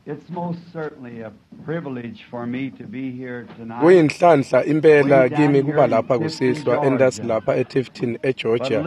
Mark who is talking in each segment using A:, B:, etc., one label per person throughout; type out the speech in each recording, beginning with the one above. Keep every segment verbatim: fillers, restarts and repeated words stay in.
A: It's most certainly a privilege for me to be here tonight.
B: Kuyinhlanhla impela kimi kuba lapha kusihlwa entasi lapha eTifton eGeorgia.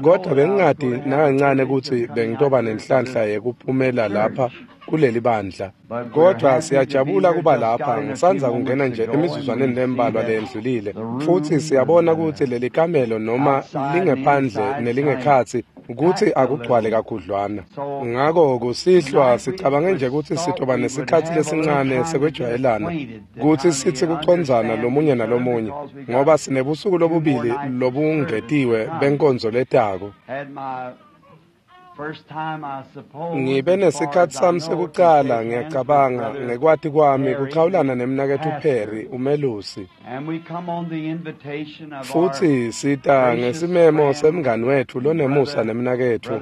B: Kodwa bengingadi nakancane kutsi bengitoba nenhlanhla yekuphumela lapha kuleli bandla. Kodwa siyajabula kuba lapha, ngisandza kungena nje emizuzwaneni lembalwa leyendlulile, futsi siyabona kutsi leli kamelo noma lingephandle nelingekhatsi kutsi akugcwale kakhudlwana. Ngako kusihlwa sicabange nje kutsi sitoba nesikhatsi lesincane sekwejwayelana, kutsi sitsi kucondzana lomunye nalomunye, ngoba sinebusuku lobubili lobungetiwe benkonzo letako. Ngibe nesikhatsi sami sekucala, ngiyacabanga, ngekwati kwami kuchawulana nemnaketfu Perry, umelusi. Futsi sita ngesimemo semngani wetfu lonemusa nemnaketfu,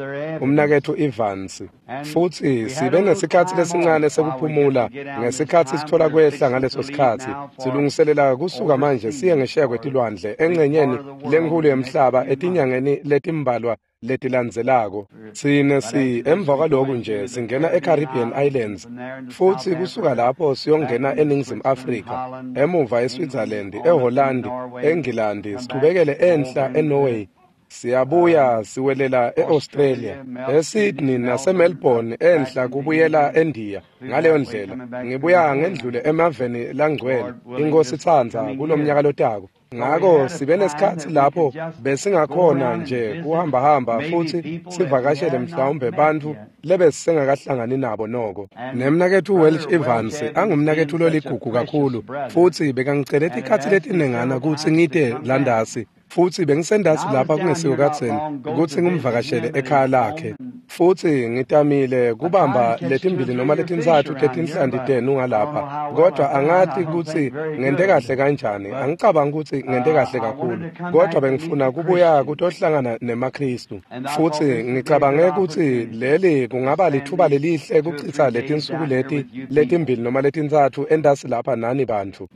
B: umnaketfu Evans. Futsi sibe nesikhatsi lesincane sekuphumula ngesikhatsi sitfola kwehla ngaleso sikhatsi. Silungiselela kusuka manje siye ngesheya kwetilwandle engcenyeni lenkhulu yemhlaba etinyangeni letimbalwa letilandzelako. Sine si emva kwaloku nje singena eCaribbean Islands, futsi kusuka lapho siyongena eNingizimu Afrika, emuva eSwitzerland, eHolland, eNgilandi, sichubekele enhla eNorway, siyabuya siwelela eAustralia, eSydney naseMelbourne, enhla kubuyela eNdiya. Ngaleyo ndlela ngibuya ngendlule emaveni langcwele, iNkosi itsandza, kulomnyaka lotako. Ngako sibe nesikhatsi lapho besingakhona nje kuhambahamba futsi sivakashele mhlawumbe bantfu lebesisengakahlangani nabo noko. Nemnaketfu Welch Evans angumnaketfu loligugu kakhulu, futsi bekangicele tikhatsi letinengana kutsi ngite landasi, futsi bengisendasi lapha kungesiko kadzeni kutsi ngimvakashele ekhaya lakhe. Futsi ngitamile kubamba letimbili noma letintsatfu tetinhlanti tenu ngalapha, kodwa angati kutsi ngente kahle kanjani. Angicabangi kutsi ngente kahle kakhulu, kodwa bengifuna kubuya kutohlangana nemaKhristu. Futsi ngicabange kutsi leli kungaba litfuba lelihle kuchitsa letinsuku leti letimbili noma letintsatfu entasi lapha nani bantfu.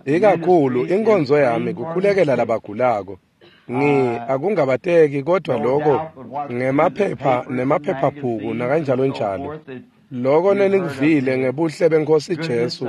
B: Ikakhulu inkonzo yami kukhulekela labagulako. Ngi akungabateki, kodwa loko ngemaphepha nemaphephabhuku nakanjalo njalo. Loko nenikuvile ngebuhle beNkosi Jesu,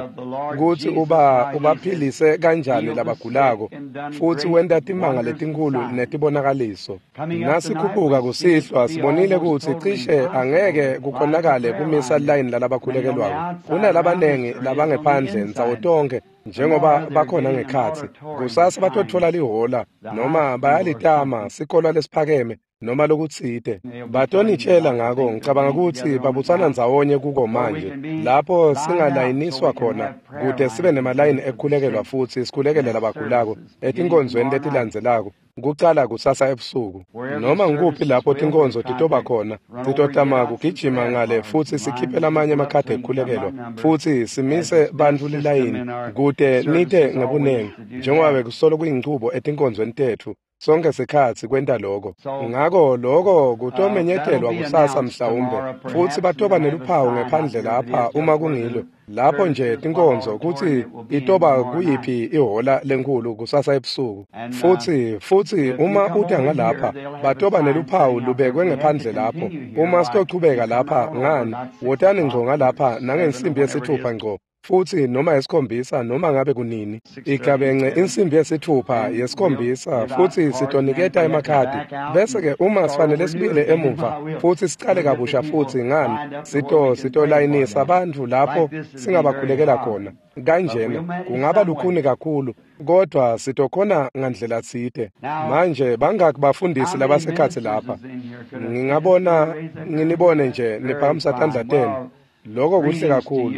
B: kutsi uba ubaphilise kanjani labagulako, futsi wenta timanga letinkhulu netibonakaliso. Nasikhuphuka kusihlwa sibonile kutsi cishe angeke kukhonakale kumisa line lalabakhulekelwako. Kunalabanengi labangephandle ndzawo tonkhe njengoba bakhona ngekhatsi. Kusasa batotfola lihola noma bayalitama sikolwa lesiphakeme noma lokutsite. Batonitshela ngako, ngicabanga kutsi babutsana ndzawonye kuko manje, lapho singalayiniswa khona kute sibe nemalayini ekukhulekelwa futsi sikhulekele labagulako etinkonzweni letilandzelako, kucala kusasa ebusuku. Noma ngikuphi lapho tinkonzo titoba khona, sitotama kugijima ngale futsi sikhiphe lamanye emakhadi ekukhulekelwa, futsi simise bantfu lilayini kute nite ngebunengi, njengoba bekusolo kuyinchubo etinkonzweni tetfu sonke sikhatsi kwenta loko. Ngako loko kutomenyetelwa kusasa mhlawumbe, futsi batoba neluphawu ngephandle lapha uma kungilo lapho nje tinkonzo kutsi itoba kuyiphi ihola lenkhulu kusasa ebusuku. Futsi futsi uma uta ngalapha batoba neluphawu lubekwe ngephandle lapho. Uma sitochubeka lapha ngani, wotani ngco ngalapha nangensimbi yesithupha ngco, futsi noma yesikhombisa noma ngabe kunini igabence insimbi yesithupha yesikhombisa, futsi sitoniketa emakhadi. Bese-ke uma sifanele sibuyele emuva futsi sicale kabusha futsi ngani, sito sitolayinisa bantfu lapho singabakhulekela khona. Kanjena kungaba lukhuni kakhulu, kodwa sitokhona ngandlela tsite. Manje bangaki bafundisi labasekhatsi lapha? Ngingabona nginibone nje niphakamisa tandla tenu. Loko kuhle kakhulu.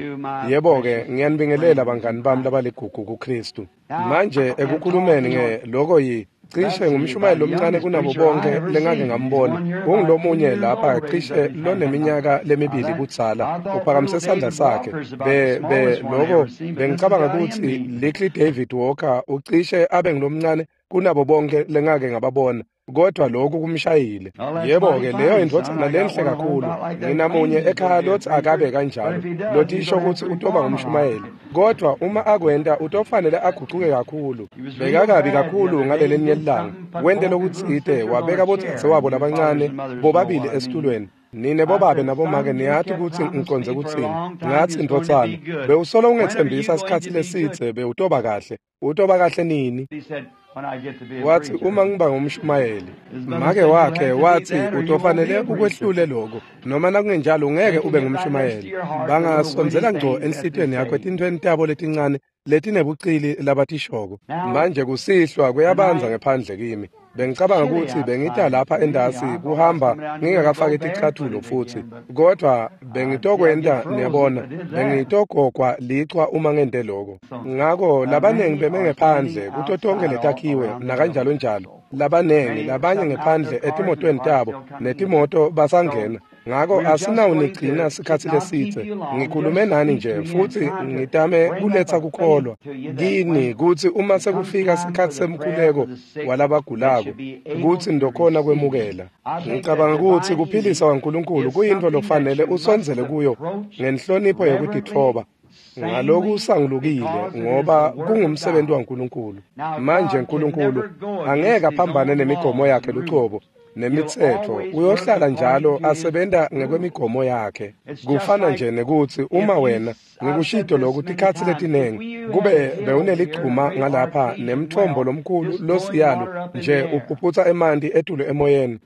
B: Yebo-ke, ngiyanibingelela bangani bami labaligugu kuKhristu. Manje ekukhulumeni nge loko yi cishe ngumshumayeli lomncane kunabo bonke lengake ngambona. Ungilomunye lapha cishe loneminyaka lemibili kudzala, uphakamise sandla sakhe. Be be loko bengicabanga kutsi Little David Walker ucishe abe ngilomncane kunabo bonke lengake ngababona, kodwa lokhu kumshayile. Yebo-ke, leyo indvodzana lenhle kakhulu. Nginamunye ekhaya lothi akabe kanjalo, lotisho kutsi utoba ngumshumayeli, kodwa uma akwenta utofanele agucuke kakhulu. Bekakabi kakhulu ngalelinye lilanga, wente lokutsite, wabeka bodzadzewabo labancane bobabili esitulweni. Nine bobabe nabomake niyati kutsi ngiconze kutsini. Ngatsi, ndvodzana, bewusolo ungetsembisa sikhatsi lesidze bewutoba kahle. Utoba kahle nini? Watsi, uma ngiba ngumshumayeli. Make wakhe watsi, utofanele ukwehlule lokho, noma nakungenjalo ungeke ube ngumshumayeli. Bangasondzela ngco enhlitiyweni yakho etintfweni tabo letincane letinebucili labatishoko. Manje kusihlwa kuyabandza ngephandle kimi. Bengicabanga kutsi bengita lapha endasi kuhamba ngingakafaki ticatfulo futsi, kodvwa bengitokwenta, niyabona, bengitogogwa lichwa uma ngente lokho. Ngako labanengi beme ngephandle kuto tonkhe letakhiwe nakanjalo njalo, labanengi labanye ngephandle etimotweni tabo netimoto basangena. Ngako asinawunigcina sikhatsi lesidze. Ngikhulume nani nje futsi ngitame kuletsa kukholwa kini kutsi uma sekufika sikhatsi semkhuleko walabagulako kutsi ndokhona kwemukela. Ngicabanga kutsi kuphilisa kwaNkulunkulu kuyintfo lofanele usondzele kuyo ngenhlonipho yekutitfoba, ngaloku usangulukile, ngoba kungumsebenzi waNkulunkulu. Manje Nkulunkulu angeke aphambane nemigomo yakhe lucobo nemitsetfo, uyohlala njalo asebenta ngekwemigomo yakhe. Kufana nje nekutsi uma wena, ngikushito lokhu tikhatsi letinengi, kube bewuneligcuma ngalapha nemtfombo lomkhulu losiyalo nje uphuphutsa emanti etulu emoyeni,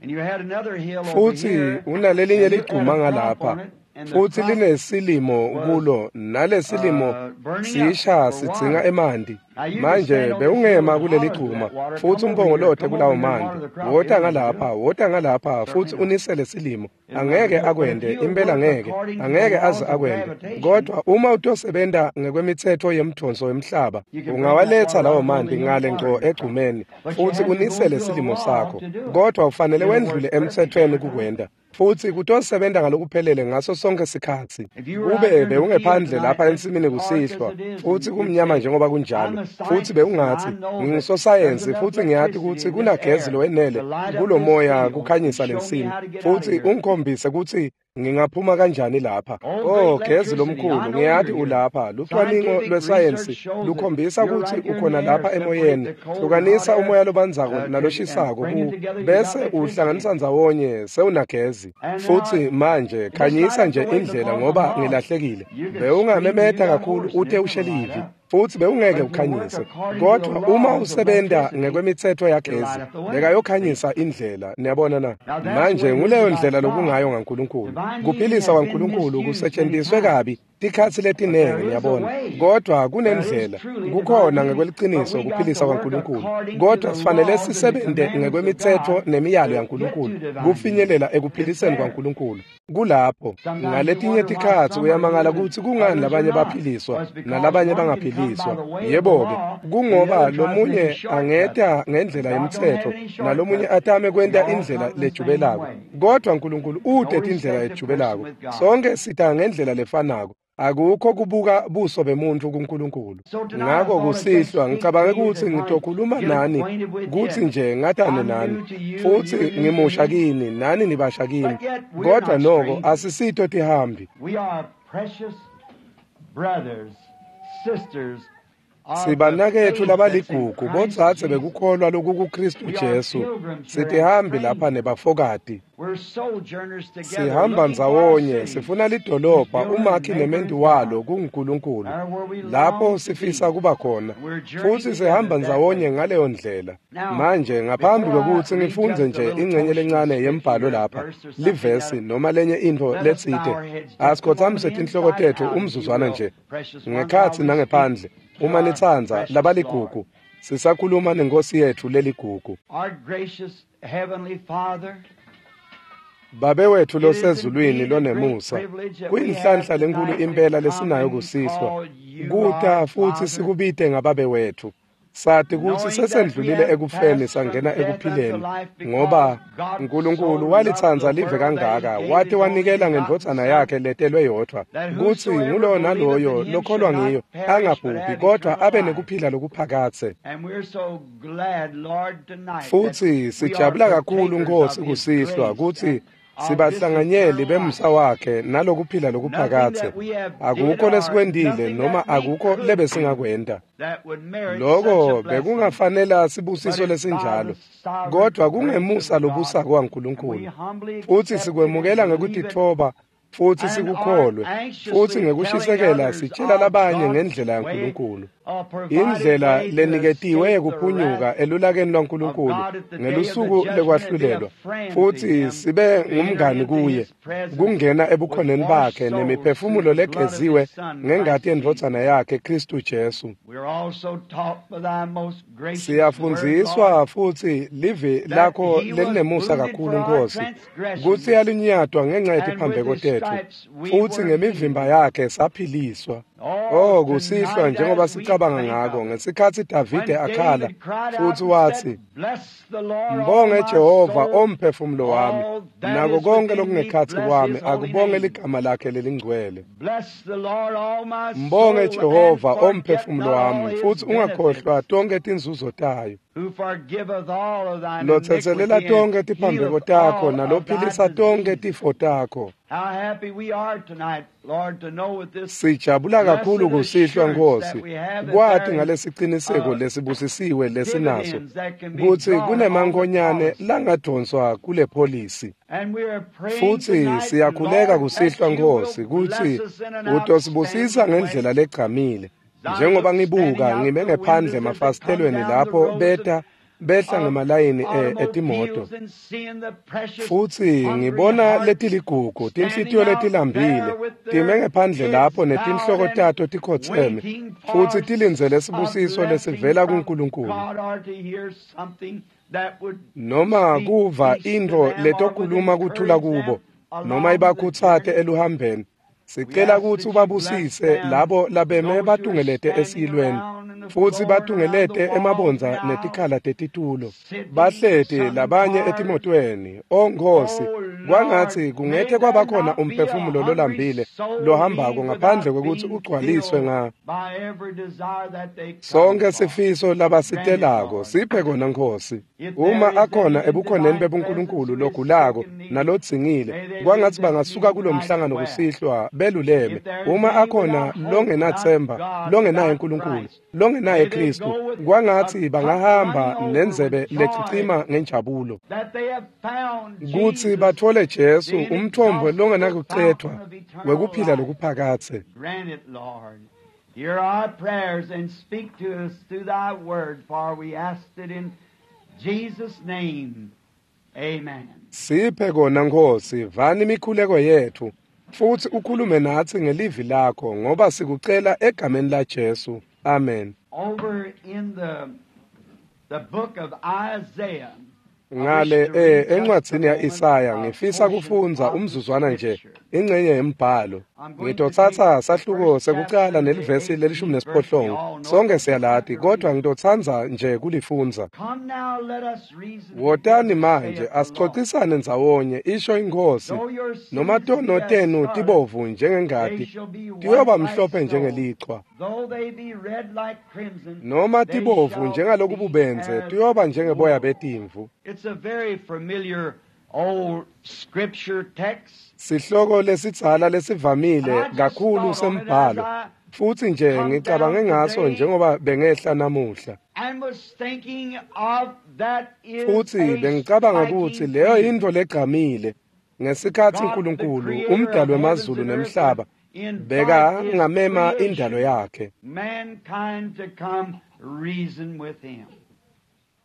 B: futsi unalelinye ligcuma ngalapha futsi linesilimo kulo, nalesilimo sisha sidzinga emanti. Manje bewungema kuleligcuma futsi umpongolote kulawo manti, wota ngalapha, wota ngalapha futsi unisele silimo. Angeke akwente, impela ngeke, angeke aze akwente. Kodwa uma utosebenta ngekwemitsetfo yemdvonso wemhlaba, ungawaletsa lawo manti ngale ngco egcumeni futsi unisele silimo sakho, kodwa ufanele wendlule emtsetfweni kukwenta, futsi kutosebenta ngalokuphelele ngaso sonke sikhatsi. Kube bewungephandle lapha ensimini kusihlwa futsi kumnyama njengoba kunjalo, futsi bewungatsi, ngingusosayensi futsi ngiyati kutsi kunagezi lowenele kulomoya kukhanyisa lensimi, futsi ungikhombise kutsi ngingaphuma kanjani lapha. Oh, gezi lomkhulu, ngiyati ulapha. Lucwaningo lwesayensi lukhombisa kutsi ukhona lapha emoyeni. Hlukanisa umoya lobandzako naloshisako ku, bese uhlanganisa ndzawonye sewunagezi. Futsi manje khanyisa nje indlela ngoba ngilahlekile. Bewungamemeta kakhulu ute ushelivi, futsi bewungeke ukhanyise. Kodwa uma usebenta ngekwemitsetfo yagezi, bekayokhanyisa indlela. Niyabona na? Manje nguleyo ndlela lokungayo ngaNkulunkulu. Kuphilisa kwaNkulunkulu kusetshenziswe kabi tikhatsi letinengi, niyabona. Kodwa kunendlela, kukhona ngekweliciniso kuphilisa kwaNkulunkulu, kodwa sifanele sisebente ngekwemitsetfo nemiyalo yaNkulunkulu kufinyelela ekuphiliseni kwaNkulunkulu. Kulapho ngaletinye tikhatsi uyamangala kutsi kungani labanye baphiliswa nalabanye bangaphiliswa. Yebo-ke, kungoba lomunye angeta ngendlela yemtsetfo nalomunye atame kwenta indlela lejubelako, kodwa Nkulunkulu ute tindlela lejubelako. Sonke sita ngendlela lefanako. Akukho kubuka buso bemuntu kuNkulunkulu. Ngako kusihlwa ngicabange kutsi ngitokhuluma nani kutsi nje ngatane nani, futsi ngimusha kini nani nibasha kimi, kodwa noko asisito tihambi. Sibanaketfu labaligugu, bodzadze bekukholwa lokukuKristu Jesu. Sitihambi lapha nebafokati. Sihamba ndzawonye, sifuna lidolobha, umakhi nementi walo kunguNkulunkulu, lapho sifisa kuba khona, futsi sihamba ndzawonye ngaleyo ndlela. Manje ngaphambi kwekutsi ngifundze nje ingcenye lencane yembhalo lapha, livesi noma lenye intfo letsite, asikhotsamise tinhloko tetfu umzuzwana nje, ngekhatsi nangephandle, uma nitsandza, labaligugu, sisakhuluma nenkosi yetfu leligugu. Babe wetfu losezulwini lonemusa, kuyinhlanhla lenkulu impela lesinayo kusihlwa, kuta futsi sikubite ngababe wetfu. Sati kutsi sesendlulile ekufeni sangena ekuphileni, ngoba Nkulunkulu walitsandza live kangaka, wate wanikela ngendvodzana yakhe letelwe yodvwa, kutsi nguloyo naloyo lokholwa ngiyo angabhubhi kodwa abe nekuphila lokuphakadze. Futsi sijabula kakhulu Nkosi kusihlwa kutsi Sibahlanganyeli bemusa wakhe nalokuphila lokuphakathe. Akukho lesikwentile noma akukho lebesingakwenta. Loko bekungafanela sibusiso lesinjalo, kodwa kungemusa lobusako waNkulunkulu. Futsi sikwemukela ngekutitfoba futsi sikukholwe, futsi ngekushisekela sitshela labanye ngendlela yaNkulunkulu. Indlela leniketiwe yekuphunyuka elulakeni lwaNkulunkulu ngelusuku lekwahlulelwa, futsi sibe ngumngani kuye, kungena ebukhoneni bakhe nemiphefumulo legeziwe ngengati yendvodzana yakhe Khristu Jesu. Siyafundziswa futsi livi lakho lelinemusa kakhulu Nkosi, kutsi yalinyatwa ngenxa yetiphambeko tetfu, futsi ngemivimba yakhe saphiliswa. Oh, kusihlwa njengoba sicabanga ngako ngesikhatsi Davide akhala futsi watsi, "Mbonge Jehova omphefumulo wami, nako konke lokungekhatsi kwami akubonge ligama lakhe lelingcwele. Mbonge Jehova omphefumulo wami, futsi ungakhohlwa tonke tinzuzo tayo, lotsetselela tonke tiphambeko takho nalophilisa tonke tifo takho." Sijabula kakhulu kusihlwa Nkosi, kwati ngalesiciniseko lesibusisiwe lesinaso kutsi kunemankonyane langadonswa kule pholisi. Futsi siyakhuleka kusihlwa Nkosi kutsi utosibusisa ngendlela legcamile. Njengoba ngibuka ngime ngephandle emafasitelweni lapho beta behla ngemalayini etimoto, futsi ngibona letiligugu tinhlitiyo letilambile time ngephandle lapho netinhloko tato tikhotseme, futsi tilindzele sibusiso lesivela kuNkulunkulu, noma kuva intfo letokhuluma kuthula kubo, noma ibakhutsate eluhambeni. Sicela kutsi ubabusise labo labeme batungelete esiyilweni, futsi batungelete emabondza netikhala tetitulo, bahleti labanye etimotweni. O Nkosi, kwangatsi kungete kwabakhona umphefumulo lolambile lohambako ngaphandle kwekutsi ugcwaliswe nga sonke sifiso labasitelako. Siphe kona Nkosi. Uma akhona ebukhoneni bebuNkulunkulu logulako nalodzingile, kwangatsi bangasuka kulomhlangano kusihlwa beluleme. Uma akhona longenathemba, longenaye uNkulunkulu, longenaye Kristu, kwangatsi bangahamba nendzebe lecicima ngenjabulo, kutsi bathole Jesu, umthombo longenakucedvwa wekuphila lokuphakathe.
A: Hear our prayers and speak to us through thy word, for we asked it in Jesus' name. Amen.
B: Siphe kona Nkosi, vani imikhuleko yethu, futsi ukhulume natsi ngelivi lakho, ngoba sikucela egameni la Jesu. Amen.
A: Over in the the book of Isaiah.
B: Ngale eh encwadzini ya Isaya ngifisa kufundza umzuzwana nje ingcenye yembhalo. Ngitotsatsa sahluko sekucala nelivesi lelishumi nesiphohlongo. Sonke siyalati, kodwa ngitotsandza nje kulifundza. Wotani manje asicocisane ndzawonye, isho iNkhosi. Noma tono tenu tibovu njengengati, tiyoba mhlophe njengelichwa. Noma tibovu njengalokububenze, tiyoba njengeboya betimvu.
A: It's a very familiar old scripture text.
B: Sihloko lesidzala lesivamile kakhulu sembhalo, futsi nje ngicabange ngaso njengoba bengehla namuhla. Futsi bengicabanga kutsi leyo yintfo legcamile ngesikhatsi uNkulunkulu umdali wemazulu nemhlaba beka ngamema indalo yakhe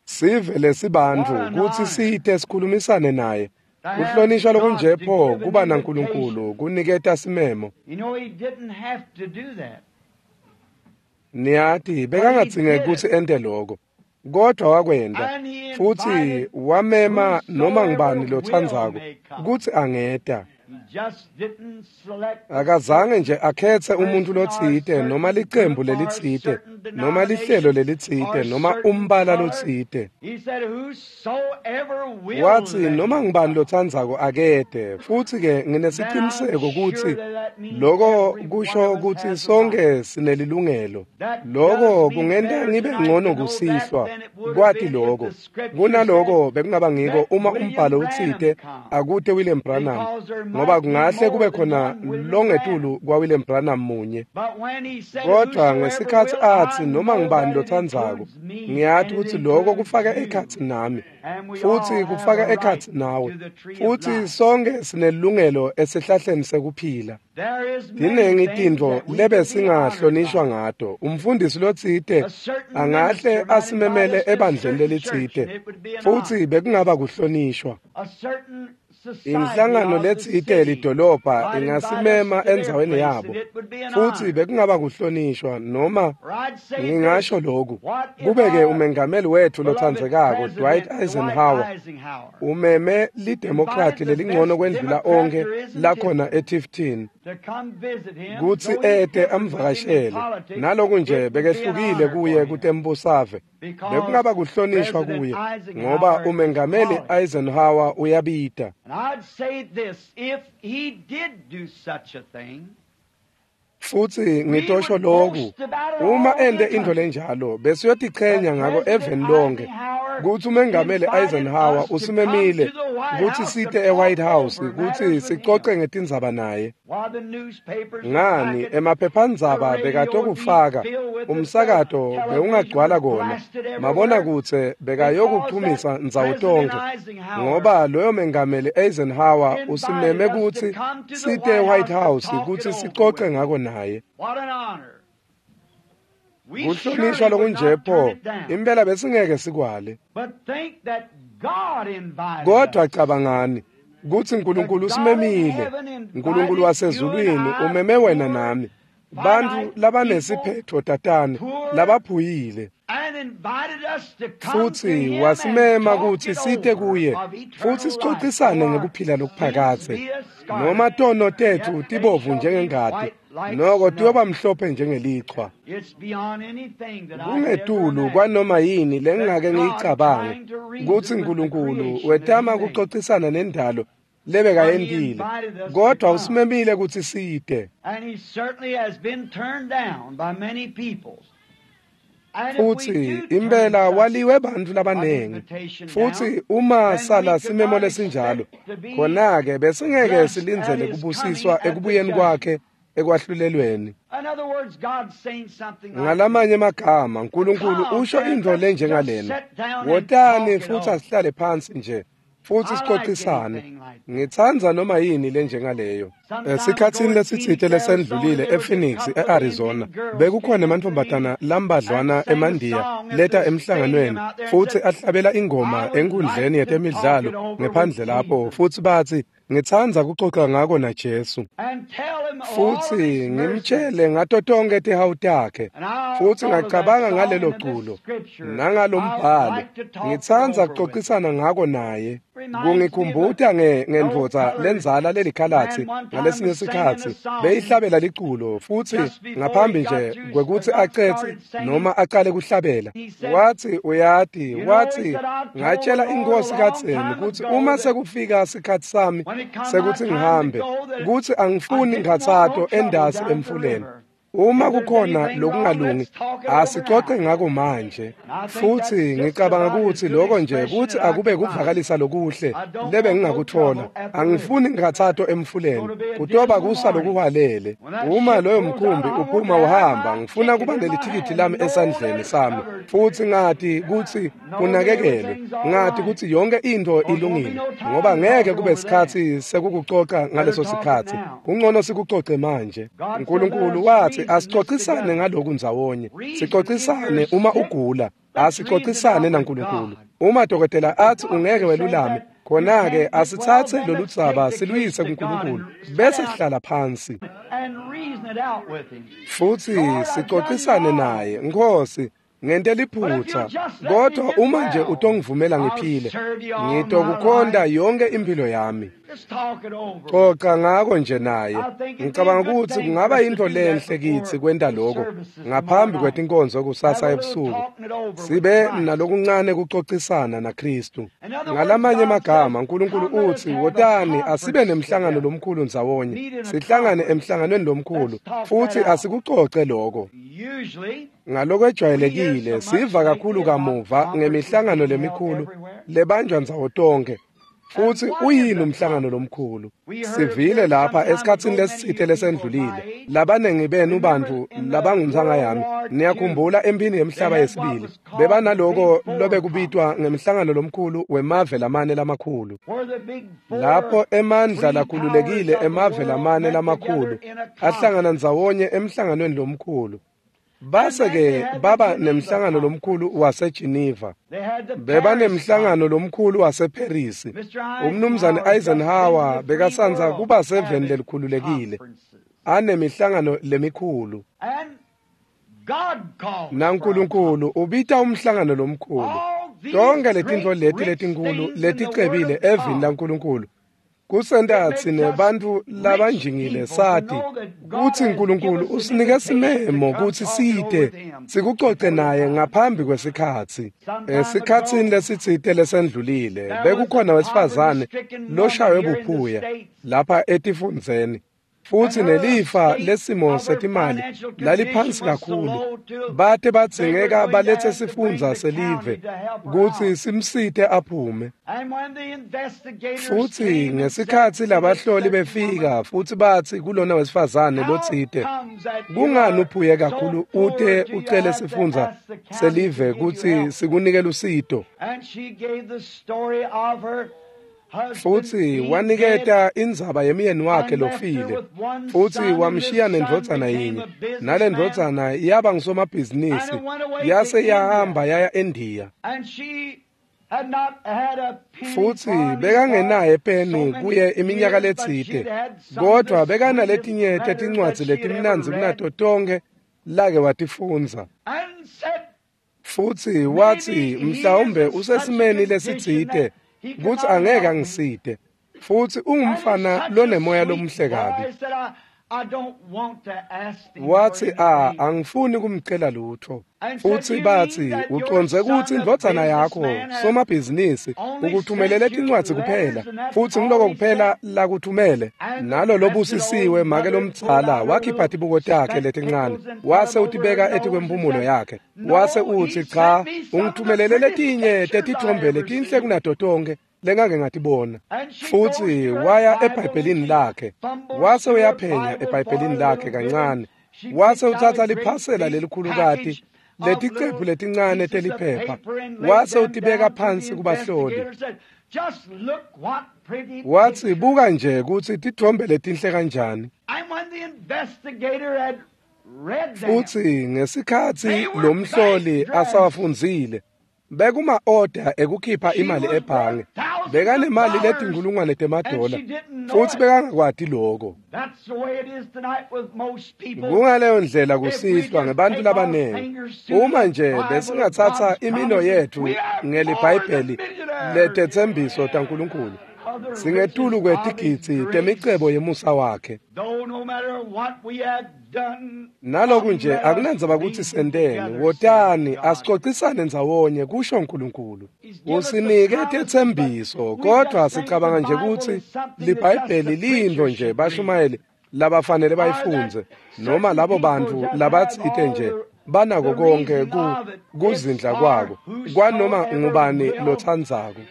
B: sive lesibantfu kutsi site sikhulumisane naye. Kuhlonishwa lokunje pho kuba naNkulunkulu kuniketa simemo. Niyati bekangadzingeki kutsi ente loko, kodwa wakwenta, futsi wamema noma ngubani lotsandzako kutsi angeta. Akazange nje akhetse umuntfu lotsite noma licembu lelitsite noma lihlelo lelitsite noma umbala lotsite. Watsi noma ngubani lotsandzako akete, futsi-ke nginesiciniseko kutsi loko kusho kutsi sonke sinelilungelo. Loko kungenta ngibe ngcono kusihlwa kwati loko kunaloko bekungaba ngiko uma umbhalo utsite akute William Branham, ngoba kungahle kube khona longetulu kwa William Branham munye. Kodwa ngesikhatsi atsi noma ngubani lotsandzako, ngiyati kutsi loko kufaka ekhatsi nami futsi kufaka ekhatsi nawe, futsi sonke sinelilungelo esihlahleni sekuphila. Tinengi tintfo lebesingahlonishwa ngato. Umfundisi lotsite angahle asimemele ebandleni lelitsite, futsi bekungaba kuhlonishwa. Inhlangano letsite lidolobha ingasimema endzaweni yabo, futsi bekungaba kuhlonishwa. Noma ngingasho lokhu, kube-ke umengameli wetfu lotsandzekako Dwight Eisenhower umeme lidemokrati lelingcono kwendlula onkhe lakhona eTifton kutsi ete amvakashele, naloku nje bekehlukile kuye kutembusave, bekungaba kuhlonishwa kuye ngoba umengameli Eisenhower uyabita. Futsi ngitosho lokhu, uma ente intfo lenjalo besiyotichenya ngako eveni lonke kutsi umengameli Eisenhower usimemile kutsi site eWhite House kutsi sicoce ngetindzaba naye. Ngani, emaphephandzaba bekatokufaka, umsakato bewungagcwala kona, mabonakudze bekayokuchumisa ndzawo tonkhe, ngoba loyo mengameli Eisenhower usimeme kutsi site eWhite House kutsi sicoce ngako naye. Kuhlonishwa lokunje pho, impela besingeke sikwale. Kodwa cabangani kutsi Nkulunkulu usimemile. Nkulunkulu wasezulwini umeme wena nami, bantfu labanesiphetfo tatane labaphuyile, futsi wasimema kutsi site kuye futsi sicocisane ngekuphila lokuphakadze. Noma tono tetfu tibovu njengengati, noko tiyoba mhlophe njengelichwa. Kungetulu kwanoma yini lengingake ngiyicabange kutsi Nkulunkulu wetama kucocisana nendalo lebekayentile, kodwa usimemile kutsi site. Futsi impela waliwe bantfu labanengi, futsi uma sala simemo lesinjalo, khona-ke besingeke silindzele kubusiswa ekubuyeni kwakhe ekwahlulelweni. Ngalamanye emagama, Nkulunkulu usho intfo lenjengalena: wotani futsi asihlale phansi nje futsi sicocisane. Ngitsandza noma yini lenjengaleyo. Esikhatsini lesitsite lesendlulile ePhoenix, e-Arizona, bekukhona emantfombatana lambadlwana emandiya leta emhlanganweni futsi ahlabela ingoma enkundleni yetemidlalo ngephandle lapho, futsi batsi, ngitsandza kucoca ngako naJesu, futsi ngimtshele ngato tonkhe tihawu takhe. Futsi ngacabanga ngalelo culo nangalombhalo, ngitsandza kucocisana ngako naye. Kungikhumbuta ngendvodza lendzala lelikhalatsi ngalesinye sikhatsi beyihlabela liculo, futsi ngaphambi nje kwekutsi acetse noma acale kuhlabela, watsi, uyati, watsi, ngatshela inkosi kadzeni kutsi uma sekufika sikhatsi sami sekutsi ngihambe, kutsi angifuni nkhatsato endasi emfuleni. Uma kukhona lokungalungi, asicoce ngako manje. Futsi ngicabanga kutsi loko nje kutsi akube kuvakalisa lokuhle lebe ngingakutfola. Angifuni nkhatsato emfuleni, kutoba kusa lokuhwalele. Uma loyo mkhumbi uphuma uhamba, ngifuna kuba nelithikithi lami esandleni sami, futsi ngati kutsi kunakekelwe, ngati kutsi yonke intfo ilungile, ngoba ngeke kube sikhatsi sekukucoca ngaleso sikhatsi. Kungcono sikucoce manje. Nkulunkulu wathi asicocisane ngaloku ndzawonye, sicocisane uma ugula, asicocisane naNkulunkulu. Uma dokotela athi ungeke welulame, khona-ke asitsatse lolu dzaba siluyise kuNkulunkulu bese sihlala phansi futsi sicocisane naye. Nkosi, ngente liphutsa, kodwa uma nje utongivumela ngiphile, ngitokukhonta yonke impilo yami. Xoxa ngako nje naye. Ngicabanga ukuthi kungaba yinto lenhle kitsi kwenta lokho ngaphambi kwetinkonzo kusasa ebusuku. Sibe nalokuncane kuxoxisana naKristu. Ngalamanye amagama uNkulunkulu uthi wotani asibe nemhlangano lomkhulu ndzawonye. Sihlangane emhlanganweni lomkhulu futhi asikuxoxe lokho. Ngalokwejwayelekile siva kakhulu kamuva ngemihlangano lemikhulu lebanjwa ndzawo tonke. Futhi uyini umhlangano lomkhulu? Sivile lapha esikhatsini lesitsite lesendlulile. Labanengi benu bantu labangumtsanga yami niyakhumbula emphini yemhlaba yesibili bebanaloko lobekubitwa ngemhlangano lomkhulu wemave lamane lamakhulu. Lapho emandla lakhululekile emave lamane lamakhulu ahlangana ndzawonye emhlanganweni lomkhulu. Base-ke baba nemhlangano lomkhulu waseGeneva. Beba nemhlangano lomkhulu waseParis. Umnumzane Eisenhower bekasandza kuba seveni lelikhululekile anemihlangano lemikhulu. NaNkulunkulu ubita umhlangano lomkhulu. Tonke letintfo leti letinkulu leticebile evini laNkulunkulu kusenta tsine bantfu labanjingile sati kutsi uNkulunkulu usinike simemo kutsi site sikucoce naye ngaphambi kwesikhatsi. Esikhatsini lesitsite lesendlulile bekukhona wesifazane loshaywe buphuya lapha etifundzeni futsi nelifa lesimo setimali laliphansi kakhulu bate badzingeka balethe sifundza selive kutsi simsite aphume. Futsi ngesikhatsi labahloli befika futsi batsi kulona wesifazane lotsite, kungani uphuye kakhulu ute ucele sifundza selive kutsi sikunike lusito? Futsi waniketa indzaba yemyeni wakhe lofile futsi wamshiya nendvodzana yinye, nale ndvodzana yaba ngusomabhizinisi yase yahamba yaya eNdiya. Futsi bekangenaye peni kuye iminyaka letsite, kodvwa bekanaletinye tetincwadzi letimnandzi kunato tonkhe lake watifundza. Futsi watsi mhlawumbe usesimeni lesitsite kutsi angeke angisite, futsi ungumfana lonemoya lomuhle kabi. Watsi a angifuni kumcela lutho. Futsi batsi ucondze kutsi indvodzana yakho somabhizinisi ukuthumelele tincwadzi kuphela, futsi ngiloko kuphela lakuthumele. Nalo lobusisiwe make lomdzala wakhipha tibuko takhe letincane wase utibeka etikwemphumulo yakhe, wase utsi cha, ungithumelele letinye tetitfombe letinhle kunato tonkhe lengake ngatibona. Futsi waya eBhayibhelini lakhe wase uyaphenya eBhayibhelini lakhe kancane, wase utsatsa liphasela lelikhulukati leticephu letincane teliphepha wase utibeka phansi kubahloli. Watsi buka nje kutsi titfombe letinhle kanjani. Futsi ngesikhatsi lomhloli asawafundzile bekuma order ekukhipha imali ebhange, bekanemali letinkhulungwane temadola futsi bekangakwati lokho. Kungaleyo ndlela kusihlwa ngebantfu labanengi. Uma nje besingatsatsa imino yetfu ngeliBhayibheli letetsembiso taNkulunkulu, singetulu kwetigidzi temicebo yemusa wakhe. Naloku nje akunandzaba kutsi senteni, wotani asicocisane ndzawonye, kusho uNkulunkulu. Usinike tetsembiso, kodvwa sicabanga nje kutsi liBhayibheli liyintfo nje bashumayeli labafanele bayifundze, noma labo bantfu labatsite nje banako konke ku kuzindla kwako kwanoma ngubani lotsandzako.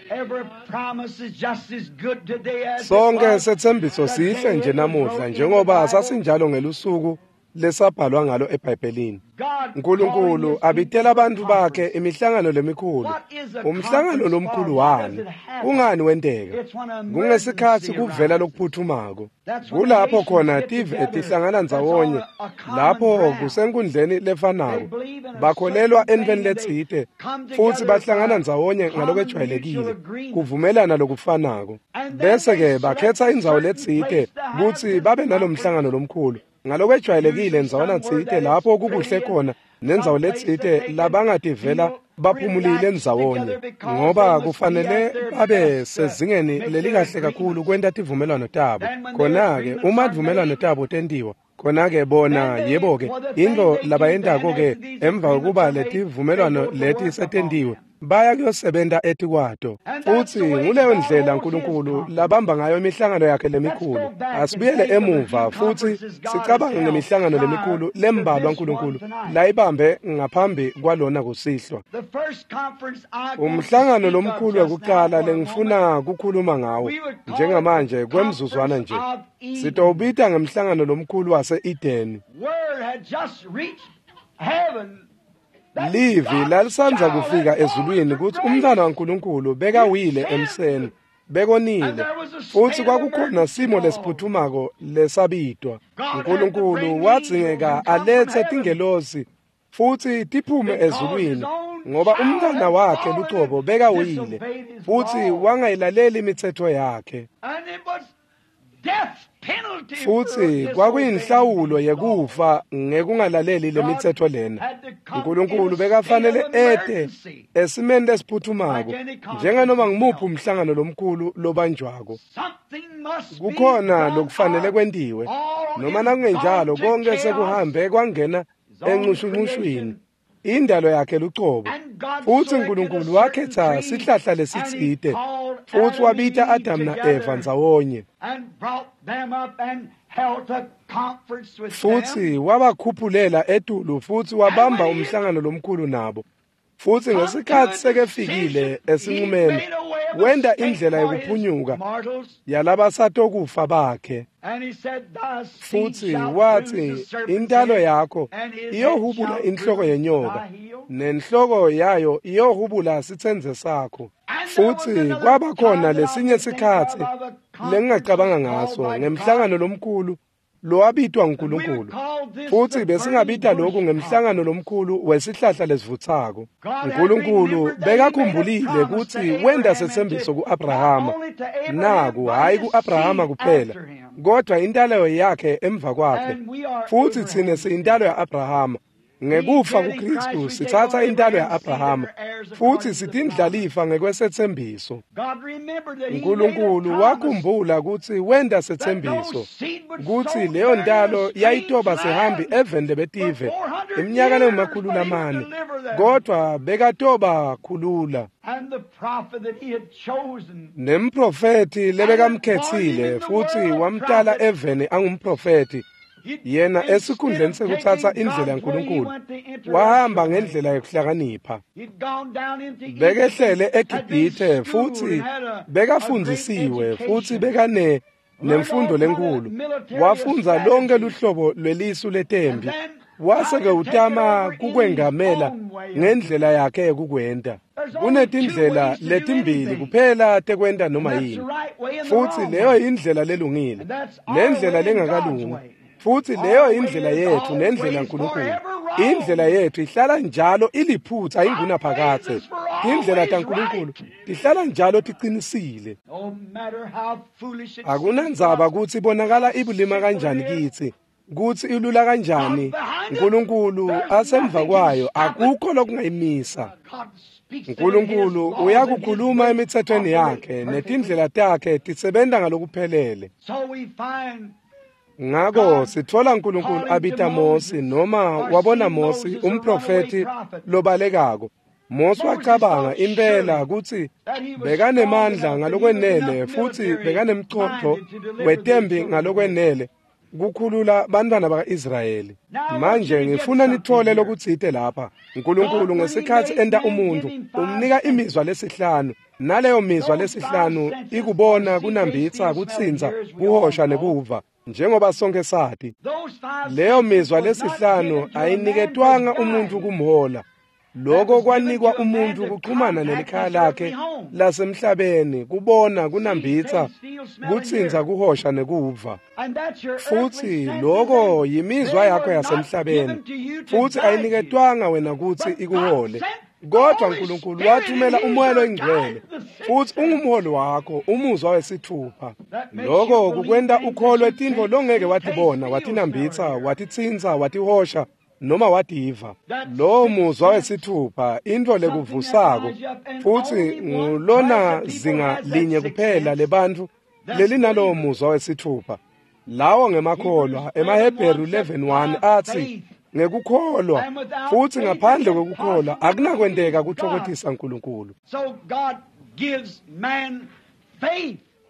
B: Sonke setsembiso sihle nje namuhla njengoba sasinjalo ngelusuku lesabhalwa ngalo eBhayibhelini. uNkulunkulu abitela abantu bakhe imihlangano lemikhulu. Umhlangano lomkhulu wani? Kungani wenteka? Kungesikhatsi kuvela lokuphuthumako. Kulapho khona tive tihlangana ndzawonye, lapho kusenkundleni lefanako. Bakholelwa entweni letsite futsi bahlangana ndzawonye ngalokwejwayelekile, kuvumelana lokufanako. Bese-ke bakhetsa indzawo letsite kutsi babe nalomhlangano lomkhulu. Ngalokwejwayelekile ndzawana tsite lapho kukuhle khona nendzawo letsite labangativela Baphumulile ndzawonye ngoba kufanele babe sezingeni lelikahle kakhulu kwenta tivumelwano tabo. Khona-ke uma tivumelwano tabo tentiwa, khona-ke bona yebo-ke intfo labayentako-ke emva kokuba letivumelwano leti setentiwe, baya kuyosebenta etikwato. Futsi nguleyo ndlela Nkulunkulu labamba ngayo imihlangano yakhe lemikhulu. Asibuyele emuva futsi sicabange ngemihlangano lemikhulu lembalwa Nkulunkulu layibambe ngaphambi kwalona kusihlwa. Umhlangano lomkhulu wekucala lengifuna kukhuluma ngawo njengamanje kwemzuzwana nje, sitowubita ngemhlangano lomkhulu wase-Edeni. Livi lalisandza kufika ezulwini kutsi umntwana waNkulunkulu bekawile emseni, bekonile, futsi kwakukhona simo lesiphuthumako lesabitwa. Nkulunkulu wadzingeka alethe tingelosi futsi tiphume ezulwini ngoba umntwana wakhe lucobo bekawile futsi wangayilaleli imitsetfo yakhe. Futsi kwakuyinhlawulo yekufa ngekungalaleli lemitsetfo lena. Nkulunkulu bekafanele ete esimeni lesiphuthumako njenganoma ngimuphi umhlangano lomkhulu lobanjwako. Kukhona lokufanele kwentiwe, noma nakungenjalo konke sekuhambe kwangena encushuncushwini, indalo yakhe lucobo. Futsi Nkulunkulu wakhetha sihlahla lesitsite futsi wabita Adam na-Eva ndzawonye, futsi wabakhuphulela etulu futsi wabamba umhlangano lomkhulu nabo. Futsi ngesikhatsi sekefikile esinqumeni, wenta indlela yekuphunyuka yalabasatokufa bakhe. Futsi watsi, intalo yakho iyohubula inhloko yenyoka, nenhloko yayo iyohubula sitsendze sakho. Futsi kwaba khona lesinye sikhatsi lengingacabanga ngaso ngemhlangano lomkhulu lowabitwa nguNkulunkulu. Futsi besingabita lokhu ngemhlangano lomkhulu wesihlahla lesivutsako. Nkulunkulu bekakhumbulile kutsi wenta setsembiso ku-Abrahama, naku hhayi ku-Abrahama kuphela, kodwa intalo yakhe emva kwakhe. Futsi tsine siyintalo ya-Abrahama. Ngekufa kuKristu sitsatsa intalo ya-Abrahama futsi sitindlalifa ngekwesetsembiso. Nkulunkulu wakhumbula kutsi wenta setsembiso kutsi leyo ntalo yayitoba sihambi eveni lebetive iminyaka lengemakhulu lamane, kodvwa bekatoba khulula. Nemprofethi lebekamkhetsile futsi wamtala eveni angumprofethi, yena esikhundleni sekutsatsa indlela yaNkulunkulu wahamba ngendlela yokuhlakanipha. Bekehlele eGibhithe futsi bekafundzisiwe futsi bekane nemfundo lenkulu, wafundza lonke luhlobo lwelisu letembi, wase-ke utama kukwengamela ngendlela yakhe yekukwenta. Kunetindlela letimbili kuphela tekwenta noma yini, futsi leyo indlela lelungile nendlela lengakalungi. Futsi leyo indlela yethu nendlela yaNkulunkulu. Indlela yethu ihlala njalo iliphutha ingunaphakadze. Indlela taNkulunkulu tihlala njalo tiqinisile. Akunandzaba kutsi ibonakala ibulima kanjani kitsi, kutsi ilula kanjani, Nkulunkulu asemva kwayo akukho lokungayimisa. Nkulunkulu uyakukhuluma emithethweni yakhe netindlela takhe tisebenta ngalokuphelele. Ngako sitfola Nkulunkulu abita Mosi, noma wabona Mosi umprofethi lobalekako. Mosi wacabanga impela kutsi bekanemandla ngalokwenele futsi bekanemcondvo wetembi ngalokwenele kukhulula bantwana baka-Israyeli. Manje ngifuna nithole lokutsite lapha. Nkulunkulu ngesikhatsi enta umuntfu umnika imizwa lesihlanu, naleyo mizwa lesihlanu ikubona, kunambitsa, kutsintsa, kuhosha nekuva, njengoba sonke sati. Leyo mizwa lesihlanu ayiniketwanga umuntu kumhola. Lokho kwanikwa umuntu kuxhumana nelikhaya lakhe lasemhlabeni, kubona, kunambitsa, kutsintsa, kuhosha nekuva. Futsi lokho yimizwa yakho yasemhlabeni, futsi ayiniketwanga wena kutsi ikuhole. Kodwa Nkulunkulu wathumela uMoya loyiNgcwele, futsi ungumholi wakho, umuzwa wesithupha. Lokho kukwenta ukholwe tintfo longeke watibona, watinambitsa, watitsintsa, watihosha, noma wativa. Lowo muzwa wesithupha intfo lekuvusako, futsi ngulona zinga linye kuphela lebantfu lelinalowo muzwa wesithupha. Lawo ngemakholwa. EmaHebheru eleven one atsi ngekukholwa, futsi ngaphandle kwekukholwa akunakwenteka kutfokotisa Nkulunkulu.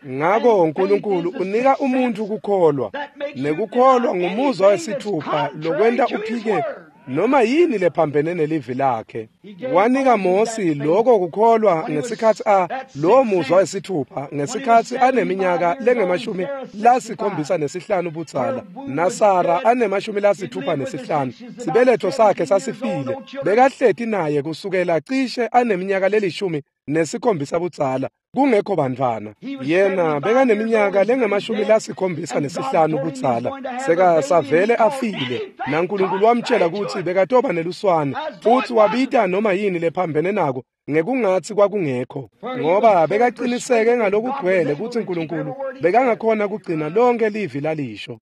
B: Ngako Nkulunkulu unika umuntfu kukholwa, nekukholwa ngumuzwa wesithupha lokwenta uphike noma yini lephambene nelivi lakhe. Wanika Mosi lokho kukholwa ngesikhatsi a lowo muzwa wesithupha ngesikhatsi aneminyaka lengemashumi lasikhombisa nesihlanu budzala, naSara anemashumi lasithupha nesihlanu. Sibeletho sakhe sasifile, bekahleti naye kusukela cishe aneminyaka lelishumi nesikhombisa budzala, kungekho bantfwana. Yena bekaneminyaka lengemashumi lasikhombisa nesihlanu budzala, sekasavele afile, naNkulunkulu wamtjela kutsi bekatoba neluswane, futsi wabita noma yini lephambene nako ngekungatsi kwakungekho, ngoba bekaqiniseke ngalokugcwele kutsi Nkulunkulu bekangakhona kugcina lonke livi lalisho.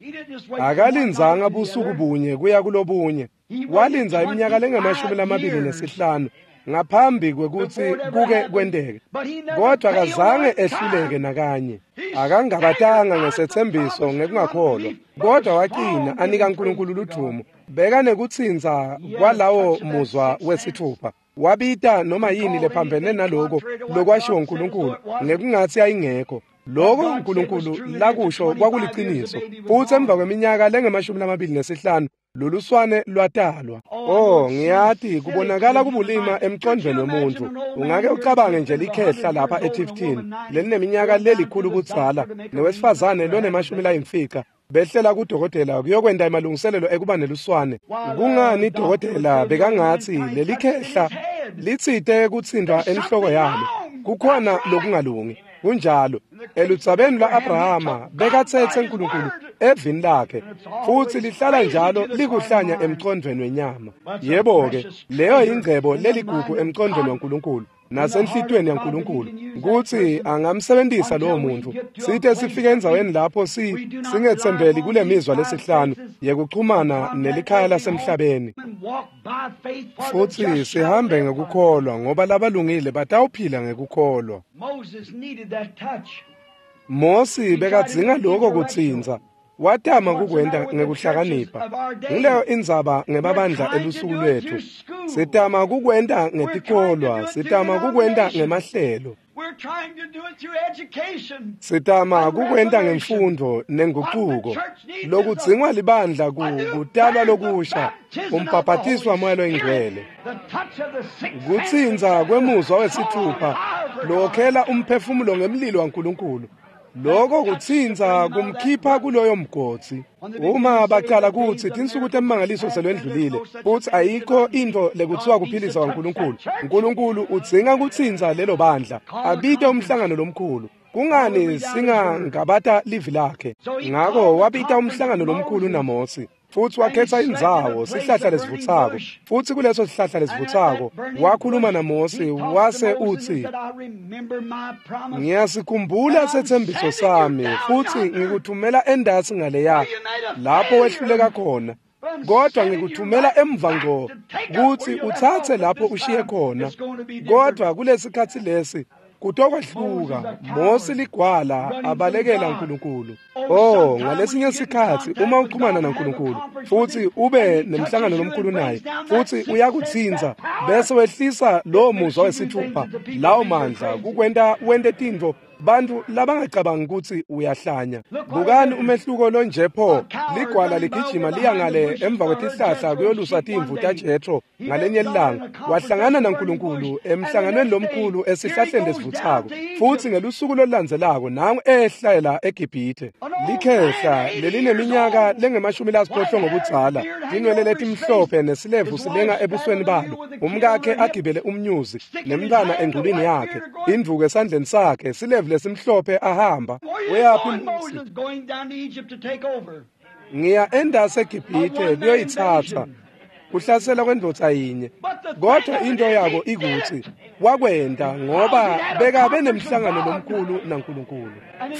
B: Akalindzanga busuku bunye kuya kulobunye, walindza iminyaka lengemashumi lamabili nesihlanu ngaphambi kwekutsi kuke kwenteke, kodwa akazange ehluleke nakanye. Akangabatanga ngesetsembiso ngekungakholwa, kodwa waqina anika Nkulunkulu ludvumo. Bekanekutsintsa kwalawo muzwa wesithupha, wabita noma yini lephambene naloko lokwashiwo Nkulunkulu ngekungatsi ayingekho. Loko Nkulunkulu lakusho kwakuliciniso, futsi emva kweminyaka lengemashumi lamabili nesihlanu loluswane lwatalwa. Oh, ngiyati kubonakala kubulima emcondvweni wemuntfu. Ungake ucabange nje likhehla lapha eTifton lelineminyaka lelikhulu budzala nowesifazane lonemashumi layimfica behlela kudokotela kuyokwenta emalungiselelo ekuba neluswane. Kungani dokotela bekangatsi lelikhehla litsite kutsintfwa enhloko yalo? Kukhona lokungalungi. Kunjalo eludzabeni lwa-Abrahama bekatsetse Nkulunkulu evini lakhe, futsi lihlala njalo likuhlanya emcondvweni wenyama. Yebo-ke, leyo yingcebo leligugu emcondvweni waNkulunkulu nasenhlitiyweni yaNkulunkulu, kutsi angamsebentisa lowo muntfu site sifike endzaweni lapho si singetsembeli kule mizwa lesihlanu yekuchumana nelikhaya lasemhlabeni, futsi sihambe ngekukholwa, ngoba labalungile batawuphila ngekukholwa. Mosi bekadzinga lokho kutsintsa, watama kukwenta ngekuhlakanipha. Nguleyo indzaba ngemabandla elusuku lwetfu. Sitama kukwenta ngetikolwa, sitama kukwenta ngemahlelo, sitama kukwenta ngemfundo nenguquko. Lokudzingwa libandla kutalwa lokusha, umbhabhatiswa waMoya Loyingcwele, kutsintsa kwemuzwa wesithupha lowokhela umphefumulo ngemlilo waNkulunkulu. Lokho kutsintsa kumkhipha kuloyo mgodzi. Uma bacala kutsi tinsuku temangaliso selwendlulile, futsi ayikho intfo lekuthiwa kuphilisa kwaNkulunkulu, Nkulunkulu udzinga kutsintsa lelo bandla, abite umhlangano lomkhulu. Kungani singangabata livi lakhe? Ngako wabita umhlangano lomkhulu naMosi, futsi wakhetsa indzawo, sihlahla lesivutsako. Futsi kuleso sihlahla lesivutsako wakhuluma naMosi, wase utsi, ngiyasikhumbula setsembiso sami, futsi ngikuthumela endasi ngaleya lapho wehluleka khona, kodwa ngikuthumela emva ngco kutsi utsatse lapho ushiye khona. Kodwa kulesikhatsi lesi kutokwehluka. Mosi ligwala abalekela uNkulunkulu. Oh, ngalesinye sikhatsi uma uchumana naNkulunkulu futsi ube nemhlangano lomkhulu naye, futsi uyakutsintsa bese wehlisa lowo muzwa wesithupha, lawo mandla kukwenta wente tintfo bantfu labangacabangi kutsi uyahlanya. Bukani umehluko lonje pho. Ligwala ligijima liya ngale emva kwetihlahla kuyolusa timvu taJethro ngalenye ilanga, wahlangana naNkulunkulu emhlanganweni lomkhulu esihlahleni lesivutsako, futsi ngelusuku lolulandzelako nangu ehlela eGibhithe. Likhehla lelineminyaka lengemashumi lasiphohlongo budzala, tinwele letimhlophe nesilevu silenga ebusweni balo, umkakhe agibele umnyuzi nemntfwana engculwini yakhe, indvuku esandleni sakhe, silevu lesimhlophe ahamba. Uyaphi Mosi? Ngiya endasi eGibhithe kuyoyitsatsa. Kuhlasela kwendvodza yinye, kodwa into yako ikutsi wakwenta ngoba bekabe nemhlangano lomkhulu naNkulunkulu,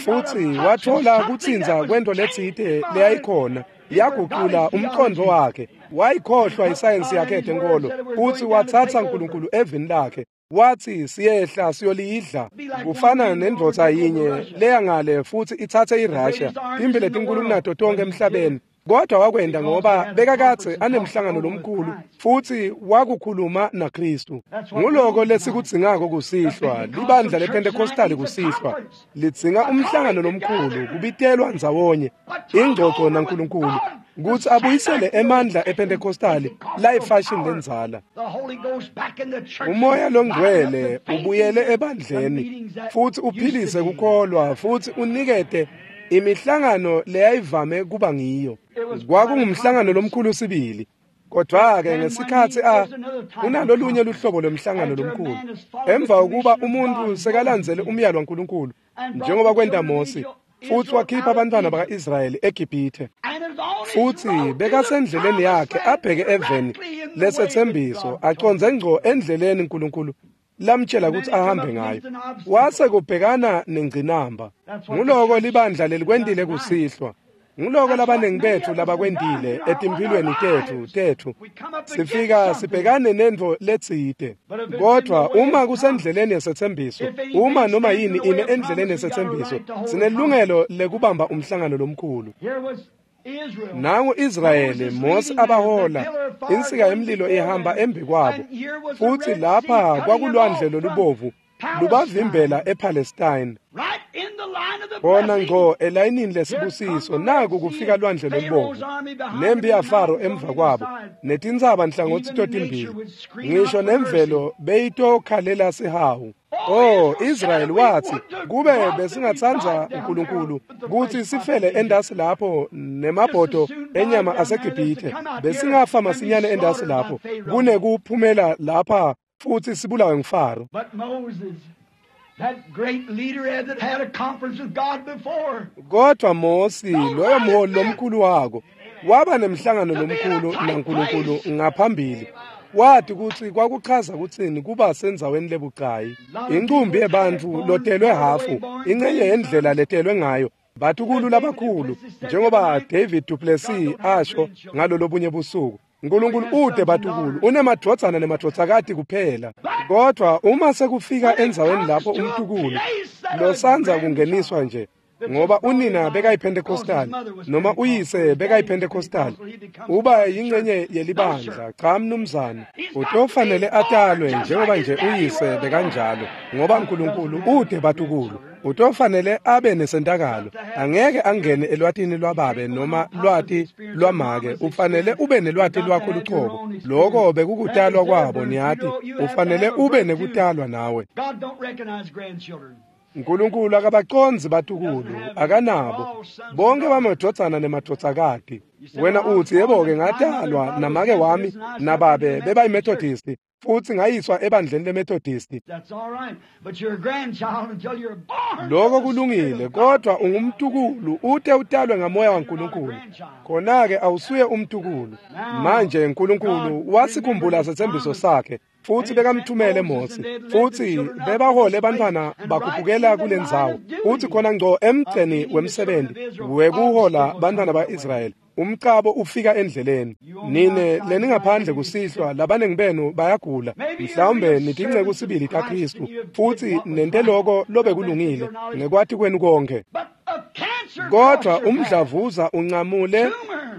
B: futsi wathola kutsintsa kwento letsite leyayikhona Yagucula umqondo wakhe, wayikhohlwa isayensi yakhe yetenkolo, futhi watsatsa uNkulunkulu evini lakhe. Wathi siyehla siyolidla. Kufana nendvodza yinye leyangale futhi itsatse iRussia, timbi letinkulu kunato tonke emhlabeni. Kodwa wakwenda ngoba bekakadze anemhlangano lomkhulu futhi wakukhuluma naKristu. Nguloko lesikudzingako kusihlwa, libandla lePentecostal kusihlwa lidzinga umhlangano lomkhulu, kubitelwa ndzawonye, ingxoxo naNkulunkulu, kutsi abuyisele emandla ePentecostal layifashion lendzala. Umoya longcwele ubuyele ebandleni futhi uphilise kukholwa futhi unikete imihlangano leyayivame kuba ngiyo. Kwakungumhlangano lomkhulu sibili. Kodwa-ke ngesikhatsi a kunalolunye luhlobo lwemhlangano lomkhulu, emva kokuba umuntu sekalandzele umyalo waNkulunkulu njengoba kwenta Mose, futhi wakhipha abantwana baka-Israyeli eGibhithe, futhi bekasendleleni yakhe abheke eveni lesetsembiso, acondze ngco endleleni uNkulunkulu lamtshela ukuthi ahambe ngayo, wase kubhekana nengcinamba. Nguloko libandla lelikwentile kusihlwa. Nguloko labaningi bethu labakwentile etimphilweni tethu tethu. Sifika sibhekane nentfo letsite, kodwa uma kusendleleni yesetsembiso, uma noma yini ime endleleni yesetsembiso, sinelungelo lekubamba umhlangano lomkhulu. Nangu Israyeli, Mose abahola, insika yemlilo ihamba embi kwabo, futhi lapha kwakulwandle lolubovu lubavimbela ePalestine. Bona ngqo elayinini lesibusiso, naku kufika lwandle lolubovu, nempi yaFaro emva kwabo, netintsaba nhlangothi totimbili, ngisho nemvelo beyitokhalela sihawu. Oh, Israyeli wathi, kube besingatsandza uNkulunkulu kutsi sifele endasi lapho nemabhodo enyama aseGibhithe, besingafa masinyane endasi lapho kunekuphumela lapha futhi sibulawe nguFaro. Kodwa Mose, loyo mholi lomkhulu wako, waba nemhlangano lomkhulu naNkulunkulu ngaphambili. Wathi kutsi kwakuchaza kutsini kuba sendzaweni lebucayi. Incumbi yebantfu lotelwe hafu, incenye yendlela letelwe ngayo, batukulu labakhulu, njengoba David Duplessis asho ngalolobunye busuku. uNkulunkulu ude batukulu, unemadvodzana nemadvodzakati kuphela. Kodwa uma sekufika endzaweni lapho umtukulu losandza kungeniswa nje, ngoba unina bekayiPentecostal noma uyise bekayiPentecostal, uba yingcenye yelibandla. Cha mnumzane, utofanele atalwe njengoba nje uyise bekanjalo, ngoba uNkulunkulu ude batukulu. Utofanele abe nesentakalo, angeke angene elwatini lwababe noma lwati lwamake. Ufanele ube nelwati lwakho lucobo. Loko bekukutalwa kwabo, niyati. Ufanele ube nekutalwa nawe. uNkulunkulu akabacondzi batukulu, akanabo. Bonke bamadvodzana nemadvodzakati. Wena utsi, yebo-ke ngatalwa namake wami nababe bebayiMethodisti, futhi ngayiswa ebandleni leMethodisti. Lokho kulungile, kodwa ungumtukulu ute utalwe ngamoya waNkulunkulu. Khona-ke awusuye umtukulu. Manje uNkulunkulu wasikhumbula setsembiso sakhe, futhi bekamthumele Mose, futhi bebahole bantwana bakhuphukela kulendzawo, futhi khona ngco emgceni wemsebenzi wekuhola bantwana ba-Israyeli, umcabo ufika endleleni. Nine leningaphandle kusihlwa, labaningi benu bayagula, mhlawumbe nitinceku sibili taKristu, futhi nente loko lobekulungile ngekwati kwenu konke. Kodwa umdlavuza uncamule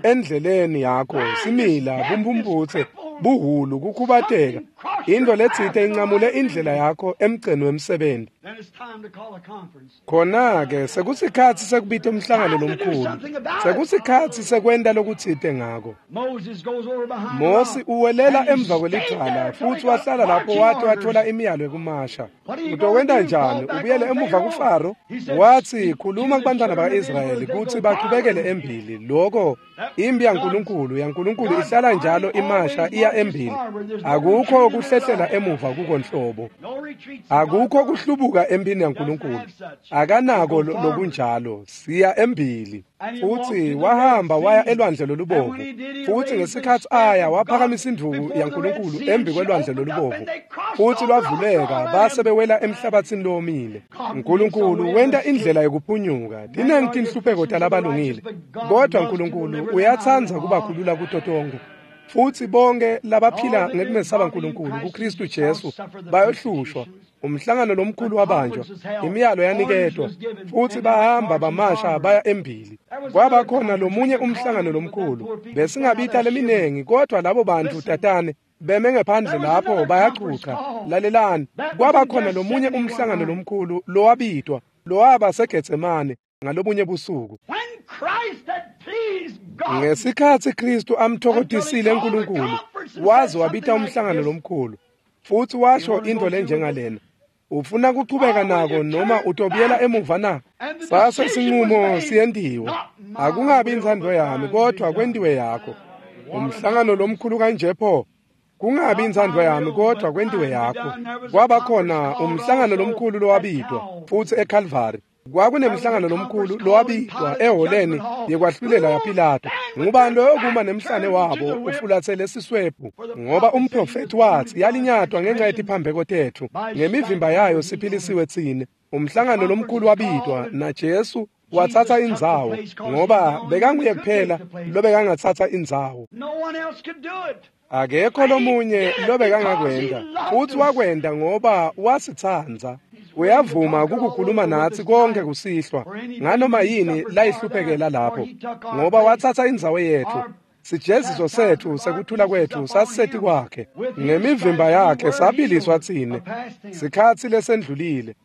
B: endleleni yakho, simila, bumphumputse, buhulu, kukhubateka, into letsite incamule indlela yakho emgceni wemsebenzi. Khona-ke sekusikhatsi sekubita umhlangano lomkhulu, sekusikhatsi sekwenta lokutsite ngako. Mose uwelela emva kwelidvwala futhi wahlala lapho wate wathola imiyalo yekumasha. Utokwenta njani? Ubuyele emuva kuFaro? Wathi, khuluma kubantwana ba-Israyeli kutsi bachubekele embili. Loko impi yaNkulunkulu yaNkulunkulu ihlala njalo imasha iya embili. Akukho kuhle kuhlehlela emuva kukonhlobo. Akukho kuhlubuka empini yaNkulunkulu, akanako lokunjalo, siya embili. Futhi wahamba waya elwandle lolubovu, futhi ngesikhathi aya waphakamisa induku yaNkulunkulu embi kwelwandle lolubovu, futhi lwavuleka base bewela emhlabathini lowomile. uNkulunkulu wenta indlela yokuphunyuka. Tinengi tinhlupheko talabalungile, kodwa uNkulunkulu uyatsandza kubakhulula kuto tonkhe. Futhi bonke labaphila ngekumesaba uNkulunkulu kuKristu Jesu bayohlushwa. Umhlangano lomkhulu wabanjwa, imiyalo yaniketwa, futhi bahamba bamasha baya embili. Kwaba khona lomunye umhlangano lomkhulu, besingabita leminengi, kodwa labo bantu tatane beme ngephandle lapho bayachucha. Lalelani, kwaba khona lomunye umhlangano lomkhulu lowabitwa, lowaba seGetsemane ngalobunye busuku. Ngesikhathi Kristu amthokotisile uNkulunkulu, waze wabita umhlangano lomkhulu, futhi washo into lenjengalena: ufuna kuchubeka nako noma utobuyela emuva na? Sase sinqumo siyendiwe, akungabi intsandvo yami kodwa kwendiwe yakho. Umhlangano lomkhulu kanje pho, kungabi intsandvo yami kodwa kwendiwe yakho. Kwaba khona umhlangano lomkhulu lowabitwa futhi eCalvary. Kwakunemhlangano lomkhulu lowabitwa eholeni yekwahlulela yaPilato. Ngubani loyokuma nemhlane wabo ufulathele siswebhu? Ngoba umprofethi wathi yalinyatwa ngenxa yetiphambeko tethu, ngemivimba yayo siphilisiwe tsine. Umhlangano lomkhulu wabitwa na Jesu wathatha indzawo, ngoba bekanguye kuphela lobekangathatha indzawo. Akekho lomunye lobekangakwenta, futhi wakwenta ngoba wasitsandza. Uyavuma ukukhuluma nathi konke kusihlwa nganoma yini layihluphekela lapho, ngoba wathatha indzawo yethu. Sijeziso sethu sekuthula kwethu sasiseti kwakhe, ngemivimba yakhe sabiliswa tsine. Sikhathi lesendlulile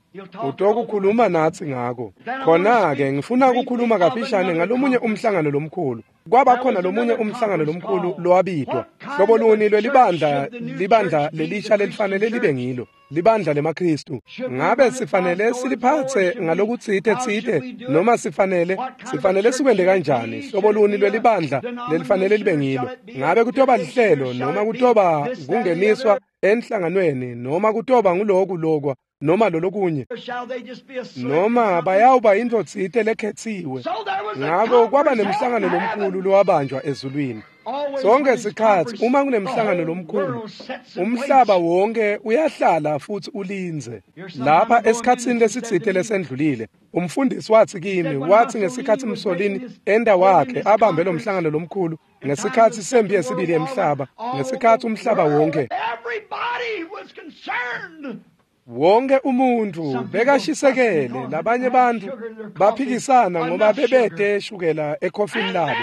B: utokukhuluma nathi ngako. Khona-ke ngifuna ukukhuluma kafishane ngalomunye umhlangano lomkhulu. Kwaba khona lomunye umhlangano lomkhulu lowabitwa. Hlobo luni lwelibandla libandla lelisha lelifanele libe ngilo, libandla lemaKristu? Ngabe sifanele siliphathe ngalokutsite tsite noma sifanele sifanele sikwente kanjani? Hlobo luni lwelibandla lelifanele libe ngilo? Ngabe kutoba lihlelo noma kutoba kungeniswa enhlanganweni noma kutoba nguloku lokwa noma lolokunye, noma bayawuba into tsite lekhetsiwe? Ngako kwaba nemhlangano lomkhulu lowabanjwa ezulwini. Sonke sikhathi uma kunemhlangano lomkhulu, umhlaba wonke uyahlala futhi ulindze. Lapha esikhatsini lesitsite lesendlulile, umfundisi wathi kimi, wathi ngesikhathi Mussolini enda wakhe abambe lo mhlangano lomkhulu ngesikhathi sempi yesibili yemhlaba, ngesikhathi umhlaba wonke wonke umuntu bekashisekele, labanye bantu baphikisana ngoba bebede shukela ekhofini labo,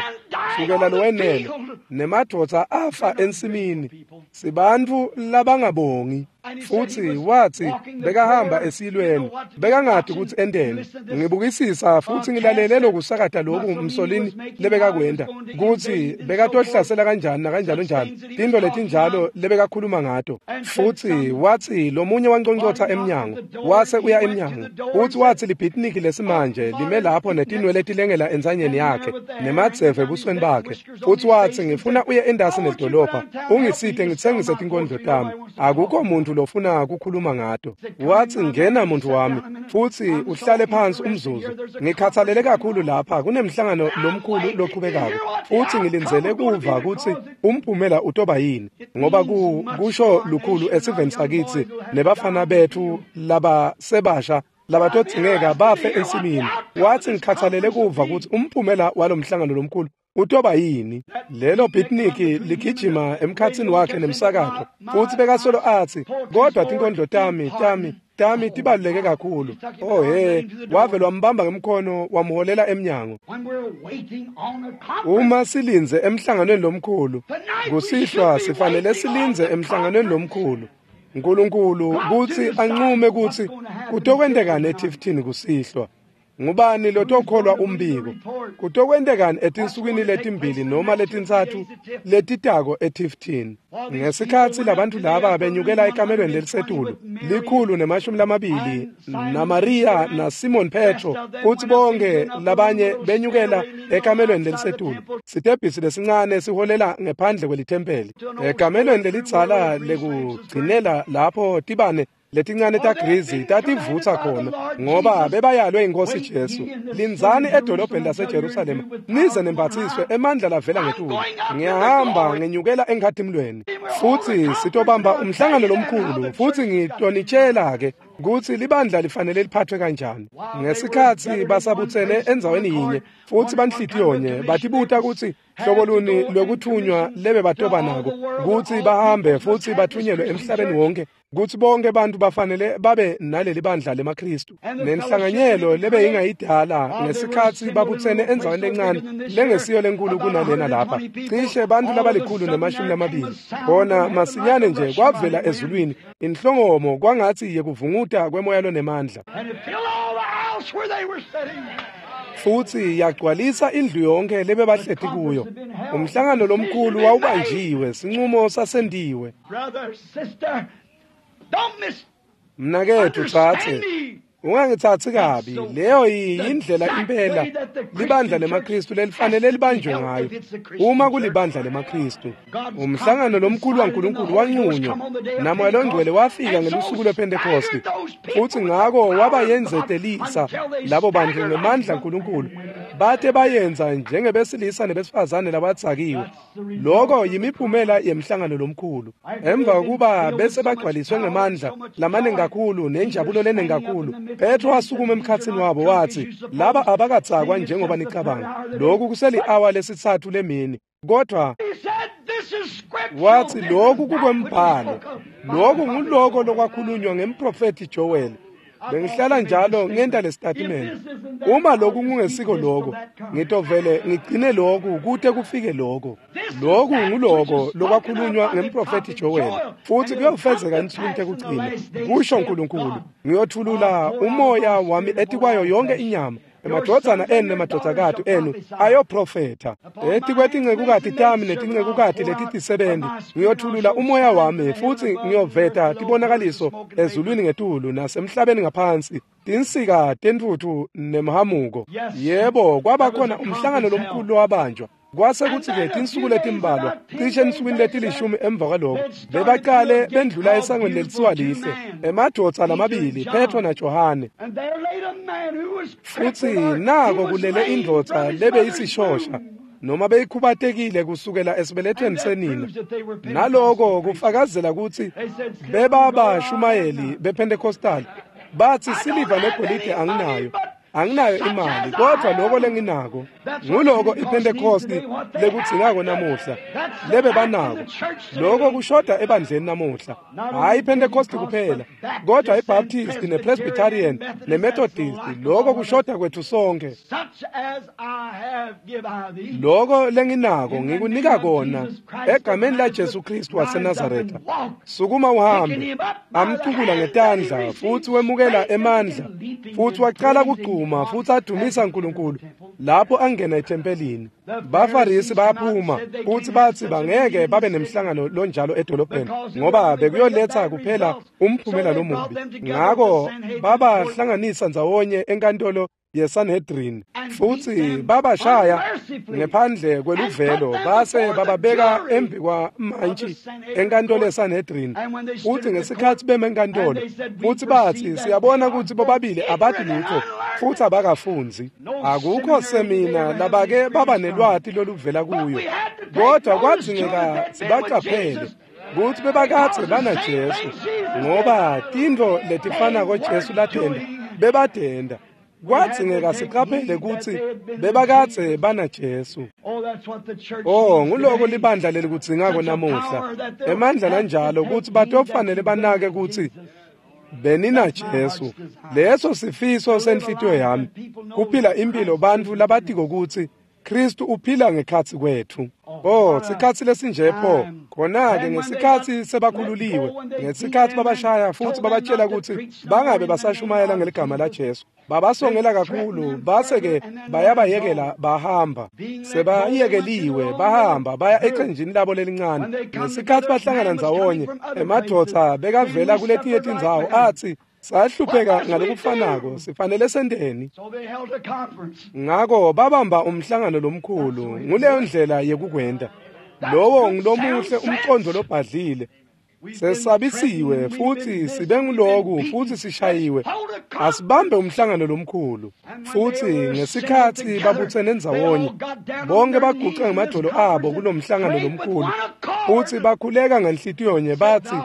B: shukela lowenele, nemadvodza afa ensimini. Sibantu labangabongi. Futhi wathi bekahamba esilweni, bekangadi ukuthi enteni. Ngibukisisa futhi ngilalele lokusakata lokhu Mussolini lebekakwenta, kuthi bekatohlasela kanjani nakanjalo njalo, tinto letinjalo lebekakhuluma ngato. Futhi wathi lomunye wanconcotha emnyango, wase uya emnyango. Futhi wathi libhitniki lesimanje lime lapho netinwele tilengela entsanyeni yakhe nemadzeve ebusweni bakhe. Futhi wathi ngifuna uye endasi nedolobha ungisite ngitsengise tinkondlo tami, akukho muntu lofuna ukukhuluma ngato. Wathi ngena muntu wami futhi uhlale phansi umzuzu, ngikhathalele kakhulu lapha kunemhlangano lomkhulu loqhubekako, futhi ngilindzele kuva ukuthi umphumela utoba yini, ngoba ku kusho lukhulu esiveni sakithi nebafana bethu laba sebasha labatodzingeka bafe ensimini. Wathi ngikhathalele kuva ukuthi umphumela walomhlangano lomkhulu utoba yini. Lelo bitniki ligijima emkhatsini wakhe nemsakato, futhi bekasolo athi kodwa tinkondlo tami tami tami tibaluleke kakhulu. Oh he, wave lwambamba ngemkhono wamholela emnyango. Uma silindze emhlanganweni lomkhulu kusihlwa, sifanele silindze emhlanganweni lomkhulu uNkulunkulu kuthi anqume kuthi kutokwenteka neTifton kusihlwa. Ngubani lotokholwa umbiko? Kutokwentekani etinsukwini letimbili noma letintsatfu letitako eTifton? Ngesikhatsi labantu laba benyukela ekamelweni lelisetulu, likhulu nemashumi lamabili, naMaria naSimon Petro, kutsi bonke labanye benyukela ekamelweni lelisetulu. Sitebhisi lesincane siholela ngephandle kwelithempeli. Ekamelweni lelidzala lekugcinela lapho tibane letincane tagrizi tativutsa khona, ngoba bebayalwe inkosi Jesu. Lindzani edolobheni laseJerusalema nize nembatsiswe emandla lavela ngetulu. Ngiyahamba ngenyukela enkhatimlweni, futsi sitobamba umhlangano lomkhulu, futsi ngitonitshela-ke kutsi libandla lifanele liphathwe kanjani. Ngesikhatsi basabutsene endzaweni yinye futsi banhlitiyonye, batibuta kutsi hlobo luni lwekuthunywa lebe batoba nako, kutsi bahambe futsi bathunyelwe emhlabeni wonke, kutsi bonke bantu bafanele babe naleli bandla lemaKristu. Nenhlanganyelo lebe ingayidala ngesikhatsi babutsene endzaweni lencane lengesiyo lenkulu kunalena lapha, cishe bantu labalikhulu nemashumi lamabili. Khona masinyane nje kwavela ezulwini inhlongomo kwangatsi yekuvunguta kwemoya lonemandla, futsi yagcwalisa indlu yonke lebebahleti kuyo. Umhlangano lomkhulu wawubanjiwe, sinqumo sasentiwe. Mnaketfu tsatse, ungangitsatsi kabi, leyo yindlela impela libandla lemaKristu lelifanele libanjwe ngayo, uma kulibandla lemaKristu. Umhlangano lomkhulu waNkulunkulu wanqunywa, naMoya loNgcwele wafika ngelusuku lwePhentekosti, futsi ngako wabayenzetelisa labo bantu ngemandla aNkulunkulu, bate bayenza njengebesilisa nebesifazane labatsakiwe. Loko yimiphumela yemhlangano lomkhulu. Emva kokuba bese bagcwaliswe ngemandla lamaningi kakhulu nenjabulo leningi kakhulu, Petro wasukuma emkhatsini wabo wathi, laba abakatsakwa njengoba nicabanga. Lokhu kuseli-awa lesitsatfu lemini. Kodwa wathi lokhu kukwembhalo, lokhu nguloko lokwakhulunywa ngemprofethi Joel. Bengihlala njalo ngenta lesitatimende. Uma lokhu kungesiko lokho, ngitovele ngigcine lokhu kute kufike lokho. Lokhu nguloko lokwakhulunywa ngemprofethi Joel, futhi kuyofezeka ensukwini tekugcina, kusho uNkulunkulu. Ngiyothulula umoya wami etikwayo yonke inyama. Emadvodzana enu nemadvodzakati enu ayoprofetha. Etikwetincekukati tami netincekukati letitisebenti ngiyothulula umoya wami, futsi ngiyoveta tibonakaliso ezulwini ngetulu nasemhlabeni ngaphansi, tinsika tentfutfu nemhamuko. Yebo, kwaba khona umhlangano lomkhulu lowabanjwa. Kwase kutsi-ke tinsuku letimbalwa, cishe ensukwini letilishumi emva kwaloko, bebaqale bendlula esangweni lelitsiwa Lihle, emadvodza lamabili, Petro naJohane. Futsi nako kulele indvodza lebeyisishosha, noma beyikhubatekile kusukela esibelethweni senina. Naloko kufakazela kutsi bebabashumayeli bePentecostal. Batsi siliva negolide anginayo, anginayo imali, kodwa lokho lenginako nguloko iPhentekosti lekudzingako namuhla, lebe banako. Lokho kushoda ebandleni namuhla, hhayi iPhentekosti kuphela, kodwa iBaptist nePresbyterian neMethodist. Lokho kushoda kwethu sonke. Lokho lenginako ngikunika kona egameni laJesu Kristu waseNazaretha. Sukuma uhambe. Amcukula ngetandla futhi wemukela emandla, futhi waqala kugcuma futhi adumisa uNkulunkulu lapho angena ethempelini. Bafarisi bayaphuma futhi bathi bangeke babe nemhlangano lonjalo edolobheni, ngoba bekuyoletha kuphela umphumela lomubi. Ngako babahlanganisa ndzawonye enkantolo yeSanhedrin, futhi babashaya ngephandle kweluvelo, base bababeka embi kwamantshi enkantolo yeSanhedrin. Futhi ngesikhatsi beme enkantolo, futhi bathi siyabona ukuthi bobabili abati lutho futhi abakafunzi. Akukho semina labake baba nelwati loluvela kuyo, kodwa kwadzingeka sibaqaphele kutsi bebakadze banaJesu, ngoba tintfo letifanako Jesu latenta bebadenda. Kwadzingeka siqaphele kutsi bebakadze banaJesu. Oh, nguloko libandla lelikudzingako namuhla, emandla lanjalo, kutsi batofanele banake kutsi beninaJesu. Leso sifiso senhlitiyo yami, kuphila impilo bantfu labatiko kutsi Kristu uphila ngekhatsi kwethu. Oh, sikhatsi lesinje pho. Khona-ke ngesikhatsi sebakhululiwe, ngesikhatsi babashaya futhi babatshela kutsi bangabe basashumayela ngeligama laJesu, Babasongela kakhulu base-ke bayabayekela bahamba. Sebayekeliwe bahamba baya ecenjini labo lelincane. Ngesikhathi bahlangana ndzawonye, emadvodza bekavela kuletinye tindzawo atsi, sahlupheka ngalokufanako, sifanele senteni? Ngako babamba umhlangano lomkhulu. Nguleyo ndlela yekukwenta. Lowo ngulomuhle umqondo lobhadlile. Sesabisiwe futhi sibe nguloku futhi sishayiwe. Asibambe umhlangano lomkhulu. Futhi ngesikhathi babuthene ndzawonye, bonke baguca ngemadolo abo kulomhlangano lomkhulu futhi bakhuleka ngenhlitiyo nye bathi,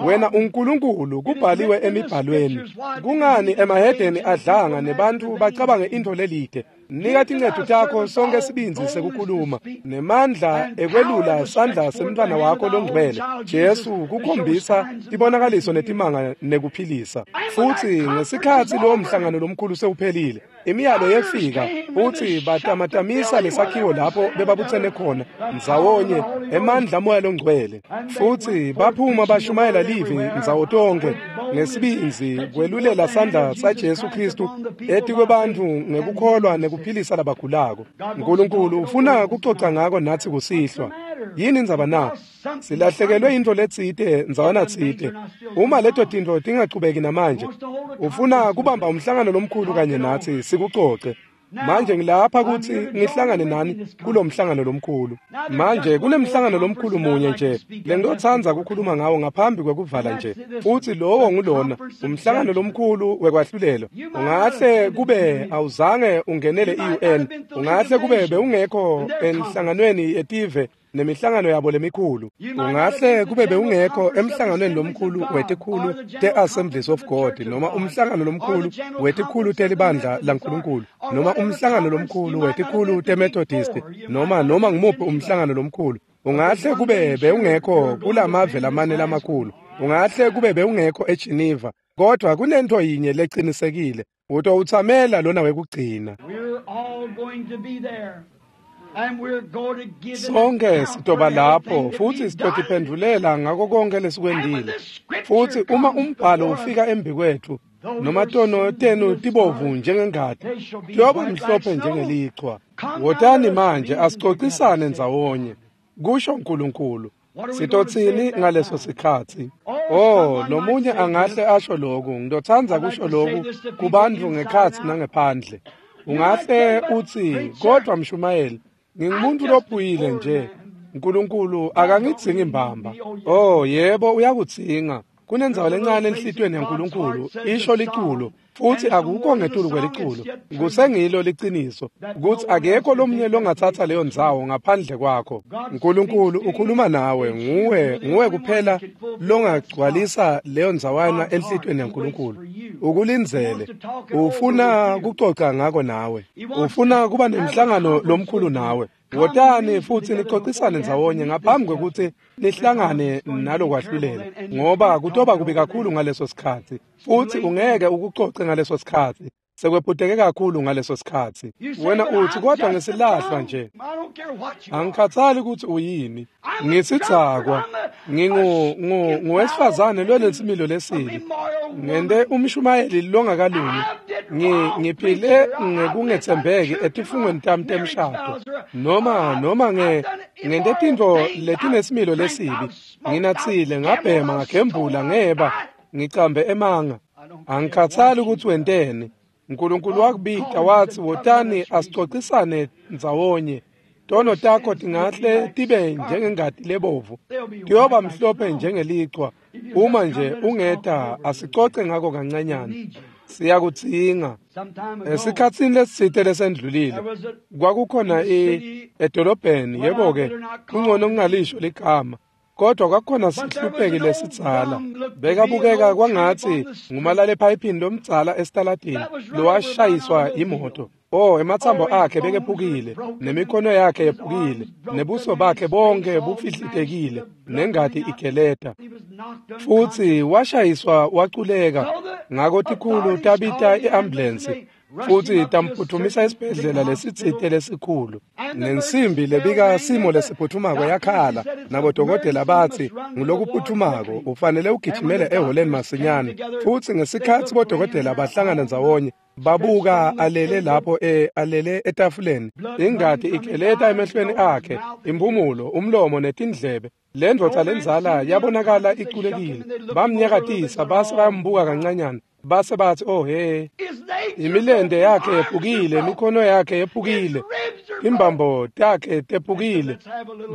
B: wena uNkulunkulu, kubhaliwe emibhalweni. Kungani emahedeni adlanga nebantu bacabange into lelide? Nika tincetu takho sonke sibindzi sekukhuluma nemandla ekwelula sandla semntwana wakho longcwele Jesu kukhombisa tibonakaliso netimanga nekuphilisa. Futhi ngesikhathi lowo mhlangano lomkhulu sewuphelile, imiyalo yefika futhi batamatamisa lesakhiwo lapho bebabuthene khona ndzawonye emandla moya longcwele. Futhi baphuma bashumayela livi ndzawo tonke ngesibindzi kwelulela sandla saJesu Kristu etikwebantfu ngekukholwa nekuphilisa labagulako. Nkulunkulu ufuna kucoca ngako nathi kusihlwa. Yini indzaba na? Silahlekelwe into letsite ndzawana tsite. Uma leto tintfo tingachubeki namanje, ufuna kubamba umhlangano lomkhulu kanye nathi sikucoce. Manje ngilapha kutsi ngihlangane nani kulomhlangano lomkhulu. Manje kunemhlangano lomkhulu munye nje lengitotsandza kukhuluma ngawo ngaphambi kwekuvala nje, futhi lowo ngulona umhlangano lomkhulu wekwahlulelwa. Ungahle kube awuzange ungenele i-U N, ungahle kube bewungekho enhlanganweni yetive nemihlangano yabo lemikhulu. Ungahle kube bewungekho emhlanganweni lomkhulu wetikhulu te-Assemblies of God, noma umhlangano lomkhulu wetikhulu telibandla laNkulunkulu, noma umhlangano lomkhulu wetikhulu teMethodist, noma noma ngumuphi umhlangano lomkhulu. Ungahle kube bewungekho kulamave lamane lamakhulu. Ungahle kube bewungekho eGeneva, kodwa kunento yinye lecinisekile, utowutsamela lona wekugcina. Sonke sitoba lapho futhi sitotiphendvulela ngako konke lesikwendile. Futhi uma umbhalo ufika embi kwethu, noma tono tenu tibovu njengengati, tiyoba mhlophe njengelichwa. Wotani manje asicocisane ndzawonye, kusho uNkulunkulu. Sitotsini ngaleso sikhathi? Oh, lomunye angahle asho lokhu, ngitotsandza kusho lokhu kubantfu ngekhatsi nangephandle. Ungahle utsi, kodwa mshumayeli, ngingumuntu lophuyile nje. uNkulunkulu akangidzingi mbamba. Oh, yebo, uyakudzinga. Kunendzawo lencane enhlitiyweni yaNkulunkulu, isho liculo, futhi akukho ngetulu kweliculo. Kusengilo liciniso kutsi akekho lomunye longathatha leyo ndzawo ngaphandle kwakho. uNkulunkulu ukhuluma nawe, nguwe, nguwe kuphela longagcwalisa leyo ndzawana enhlitiyweni yaNkulunkulu. Ukulindzele, ufuna kucoca ngako nawe, ufuna kuba nemhlangano lomkhulu nawe. Wotani futhi nicocisane ndzawonye ngaphambi kwekutsi nihlangane nalokwahlulela, ngoba kutoba kubi kakhulu ngaleso sikhathi, futhi ungeke ukucoce ngaleso sikhathi. Sekwephuteke kakhulu ngaleso sikhathi. Wena uthi, kodwa ngisilahlwa nje, angikhathali ukuthi uyini, ngisidzakwa, ngingu nguwesifazane lonesimilo lesibi, ngente umshumayeli longakalungi, ngiphile ngekungetsembeki etifungweni tami temshado, noma noma nge ngente tintfo letinesimilo lesibi, nginatsile, ngabhema, ngagembula, ngeba, ngicambe emanga. Angikhathali ukuthi wenteni. uNkulunkulu wakubita wathi, wotani asicocisane ndzawonye. Tono takho tingahle tibe njengengati lebovu, tiyoba mhlophe njengelichwa. Uma nje ungeta, asicoce ngako kancanyana. Siyakudzinga. Esikhatsini lesitsite lesendlulile, kwakukhona edolobheni, yebo-ke, kungcono kungalisho ligama, kodwa kwakukhona sihlupheki lesidzala. Bekabukeka kwangatsi ngumalale ephayiphini lomdzala esitaladini lowashayiswa imoto. Oh, ematsambo akhe bekephukile, nemikhono yakhe yephukile, nebuso bakhe bonke bufihlitekile, nengati igeleta. Futhi washayiswa waculeka. Ngako tikhulu tabita i-ambulensi futhi tamphuthumisa esibhedlela lesitsite lesikhulu. Nensimbi lebika simo lesiphuthumako yakhala, nabodokotela batsi ngulokuphuthumako, ufanele ugijimele eholeni masinyane. Futhi ngesikhathi bodokotela bahlangana ndzawonye, Babuka alele lapho e alele etafuleni, ingati igeleta emehlweni akhe, imphumulo, umlomo netindlebe. Le ndvodza lenzala yabonakala iculekile. Bamnyakatisa base bayambuka kancanyana, base bathi, oh he, imilente yakhe yephukile, imikhono yakhe yephukile, imbambo takhe tephukile.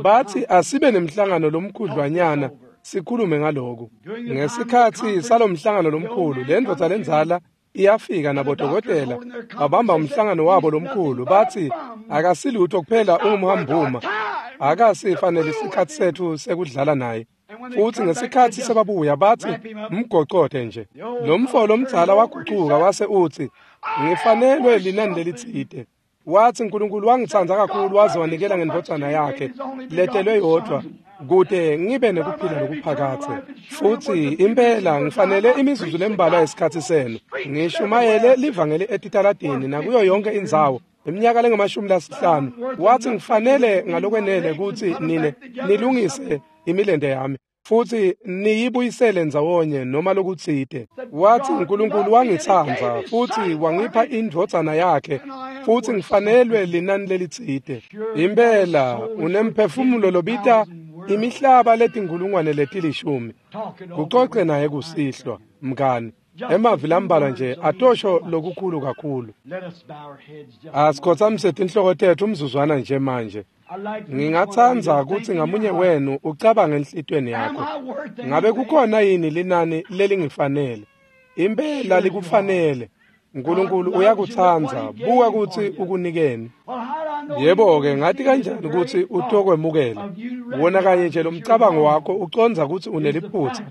B: Bathi asibe nemhlangano lomkhudlwanyana sikhulume ngaloku. Ngesikhatsi salomhlangano lomkhulu, le ndvodza lenzala iyafika nabodokotela babamba umhlangano wabo lomkhulu, bathi akasilutho kuphela ungumhambuma, akasifanele isikhatsi sethu sekudlala naye. Futhi ngesikhatsi sebabuya bathi mgocote nje. Lo mfo lomdzala wagucuka wase uthi, ngifanelwe linani lelitsite. Wathi uNkulunkulu wangitsandza kakhulu waze wanikela ngendvodzana yakhe letelwe yodvwa kute ngibe nekuphila lokuphakathe. Futhi impela ngifanele imizuzu lembalwa yesikhatsi senu ngishumayele livangeli etitaladini nakuyo yonke indzawo iminyaka lengamashumi lasihlanu. Wathi ngifanele ngalokwenele kutsi nine nilungise imilente yami futhi niyibuyisele ndzawonye noma lokutsite. Wathi uNkulunkulu wangitsandza futhi wangipha indvodzana yakhe futhi ngifanelwe linani lelitsite. Impela unemphefumulo lobita imihlaba letinkulungwane letilishumi. Kucoce naye kusihlwa mngani. Emavi lambalwa nje atosho lokukhulu kakhulu. Asikhotsamise tinhloko tethu umzuzwana nje manje. Ngingatsandza kutsi ngamunye wenu ucabange enhlitiyweni yakho, ngabe kukhona yini linani lelingifanele? Impela likufanele. uNkulunkulu uyakutsandza, buka kutsi ukunikeni. Yebo-ke, ngati kanjani kutsi utokwemukela? Wona kanye nje lomcabango wakho ucondza kutsi uneliphutsa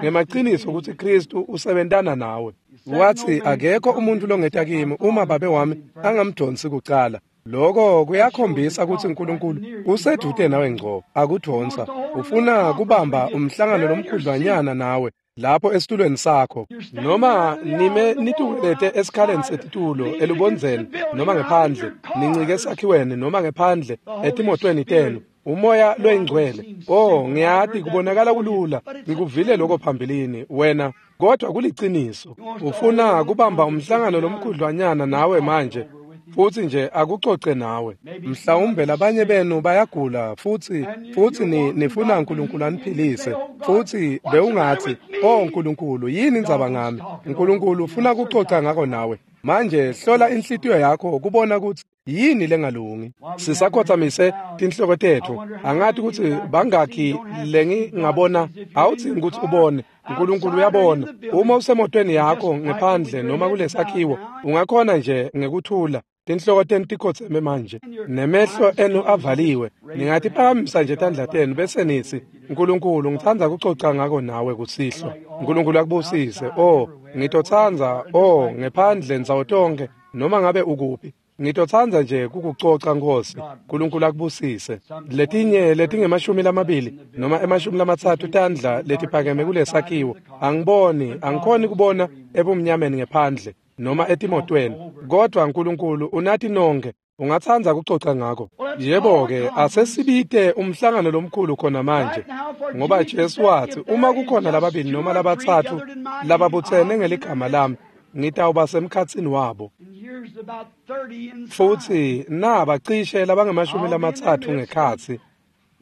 B: ngemaciniso kutsi Kristu usebentana nawe. Wathi akekho umuntu longeta kimi uma babe wami angamdonsi kucala. Lokho kuyakhombisa kutsi uNkulunkulu usedude nawe ngco, akudonsa. Ufuna kubamba umhlangano lomkhudlwanyana nawe lapho esitulweni sakho, noma nime nitukelete esikhaleni setitulo elubondzeni noma ngephandle, nincike esakhiweni noma ngephandle etimotweni tenu. Umoya loyingcwele, oh ngiyati kubonakala kulula, ngikuvile lokho phambilini wena, kodwa kuliciniso. Ufuna kubamba umhlangano lomkhudlwanyana nawe manje futhi nje akucoce nawe. Mhlawumbe labanye benu bayagula futhi futhi ni nifuna uNkulunkulu aniphilise, futhi bewungathi, oh uNkulunkulu, yini indzaba ngami? uNkulunkulu ufuna kucoca ngako nawe. Manje hlola inhlitiyo yakho kubona kutsi yini lengalungi. Sisakhotsamise tinhloko tethu. Angati kutsi bangakhi lengingabona, awudzingi kutsi ubone. uNkulunkulu uyabona. Uma usemotweni yakho ngephandle noma kulesakhiwo, ungakhona nje ngekuthula. Tinhloko tenu tikhotseme manje nemehlo enu avaliwe. Ningatiphakamisa nje tandla tenu bese nitsi, uNkulunkulu ngitsandza kucoca ngako nawe kusihlwa. uNkulunkulu akubusise. Oh, ngitotsandza, oh, ngephandle ndzawo tonke noma ngabe ukuphi. Ngitotsandza nje kukucoca Nkosi. uNkulunkulu akubusise. Letinye letingemashumi lamabili noma emashumi lamatsatfu tandla letiphakeme kulesakhiwo. Angiboni, angikhoni kubona ebumnyameni ngephandle noma etimotweni, kodwa uNkulunkulu unati nonke. Ungatsandza kucoca ngako. Yebo-ke, asesibite umhlangano lomkhulu khona manje, ngoba Jesu wathi uma kukhona lababili noma labatsatfu lababutsene ngeligama lami, ngitawuba semkhatsini wabo. Futhi naba cishe labangamashumi lamatsatfu ngekhatsi,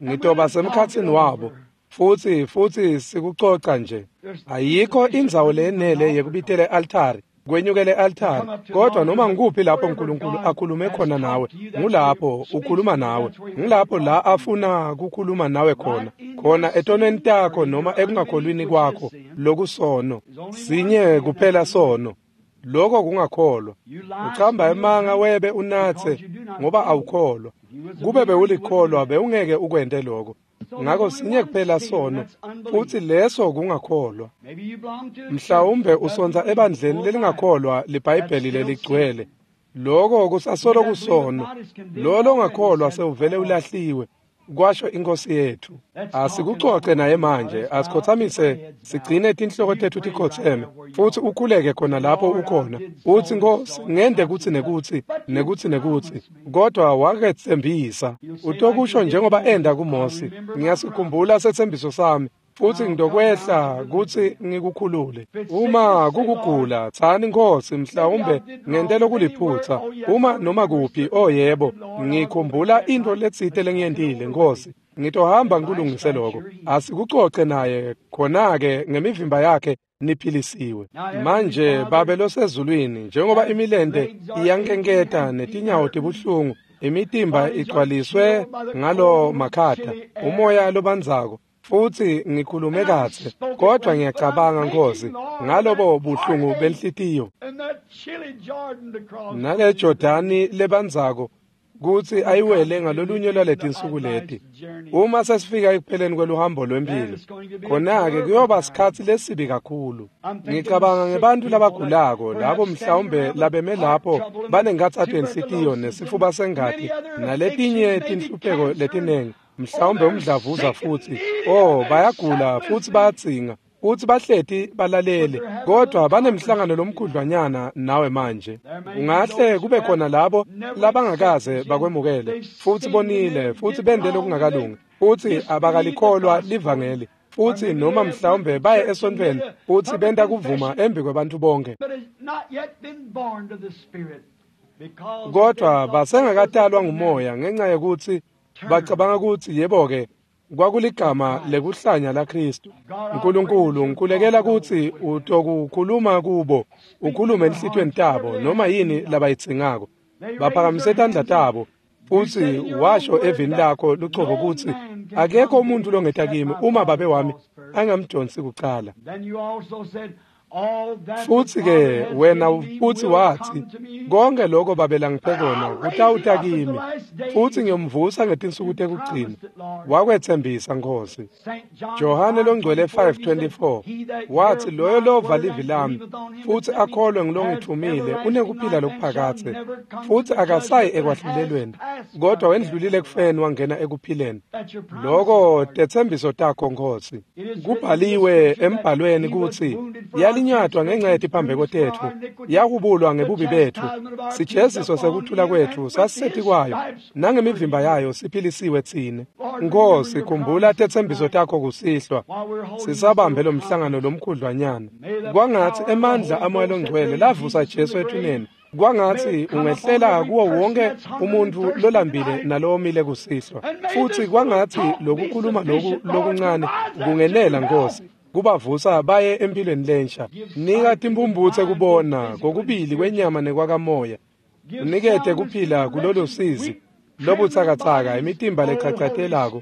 B: ngitoba semkhatsini wabo. Futhi futhi sikucoca nje. Ayikho indzawo lenele yekubitela e-altari, kwenyukele e-altari, kodwa noma ngikuphi lapho uNkulunkulu akhulume khona nawe, ngulapho ukhuluma nawe, ngulapho la afuna kukhuluma nawe khona, khona etonweni takho noma ekungakholwini kwakho lokusono. Sinye kuphela sono, lokho kungakholwa. Ucamba emanga webe unatse ngoba awukholwa. Kube bewulikholwa bewungeke ukwente lokho. Ngakho sinye kuphela sono, futhi leso kungakholwa. Mhlawumbe usonza ebandleni lelingakholwa liBhayibheli leligcwele. Lokho kusasolo kusono. Lo longakholwa sewuvele ulahliwe, kwasho inkosi yethu. Asikucoce naye manje, asikhothamise sigcine tinhloko tethu tikhotseme, futhi ukhuleke khona lapho ukhona. Uthi, Nkosi, ngende kuthi nekuthi nekuthi nekuthi, kodwa waketsembisa. Utokusho njengoba enda kuMose, ngiyasikhumbula setsembiso sami. futsi ngitokwehla kutsi ngikukhulule. Uma kukugula, tsani Nkhosi, mhlawumbe ngente lokuliphutsa. Uma noma kuphi, oh yebo, ngikhumbula intfo letsite lengiyentile, Nkhosi. Ngitohamba ngikulungise lokho. Asikucoce naye khona-ke ngemivimba yakhe niphilisiwe. Manje Babe losezulwini, njengoba imilente iyankenketa netinyawo tibuhlungu, imitimba igcwaliswe ngalo makhata, umoya lobandzako, futsi ngikhulume kahle, kodwa ngiyacabanga Nkhosi ngalobo buhlungu benhlitiyo nale Jordani lebandzako kutsi ayiwele ngalolunye lwaletinsuku leti. Uma sesifika ekupheleni kweluhambo lwempilo, khona-ke kuyoba sikhatsi lesibi kakhulu. Ngicabanga ngebantfu labagulako, labo mhlawumbe labeme lapho banenkhatsato yenhlitiyo nesifuba sengati naletinye tinhlupheko letinengi, mhlawumbe umdlavuza futsi. Oh, bayagula futsi bayadzinga kutsi bahleti balalele, kodwa banemhlangano lomkhudlwanyana nawe manje. Ungahle kube khona labo labangakaze bakwemukele, futsi bonile, futsi bente lokungakalungi, futsi abakalikholwa livangeli, futsi noma mhlawumbe baye esontfweni futsi benta kuvuma embi kwebantfu bonke, kodwa basengakatalwa ngumoya ngenca yekutsi bacabanga kutsi yebo-ke kwakuligama lekuhlanya laKhristu. Nkulunkulu, ngikhulekela kutsi utokukhuluma kubo, ukhulume enhlitiyweni tabo noma yini labayidzingako. Baphakamise tandla tabo, futsi washo evini lakho lucobo kutsi akekho umuntfu longeta kimi uma Babe wami angamdonsi kucala. Futsi-ke wena futsi watsi, konke lokho Babe langiphe kona kutawuta kimi, futsi ngiyomvusa ngetinsuku tekugcina. Wakwetsembisa Nkhosi. Johane longcwele five twenty-four watsi, loyo lova livi lami futsi akholwe ngulongitfumile unekuphila lokuphakadze, futsi akasayi ekwahlulelweni, kodwa wendlulile ekufeni wangena ekuphileni. Loko tetsembiso takho Nkhosi. Kubhaliwe embhalweni kutsi yalinyatwa ngenxa yetiphambeko tetfu, yahubulwa ngebubi betfu, sijeziso sekuthula kwetfu sasisetikwayo, nangemivimba yayo siphilisiwe tsine. Nkhosi, khumbula tetsembiso takho kusihlwa, sisabambe lo mhlangano lomkhudlwanyana. Kwangatsi emandla aMoya loNgcwele lavusa Jesu ethuneni, kwangatsi ungehlela kuwo wonke umuntfu lolambile nalowomile kusihlwa, futsi kwangatsi lokukhuluma loku lokuncane kungenela Nkhosi, kubavusa baye empilweni lensha. Nika timphumphutse kubona kokubili kwenyama nekwakamoya, unikete kuphila kulolo sizi lobutsakatsaka, imitimba lechachatelako.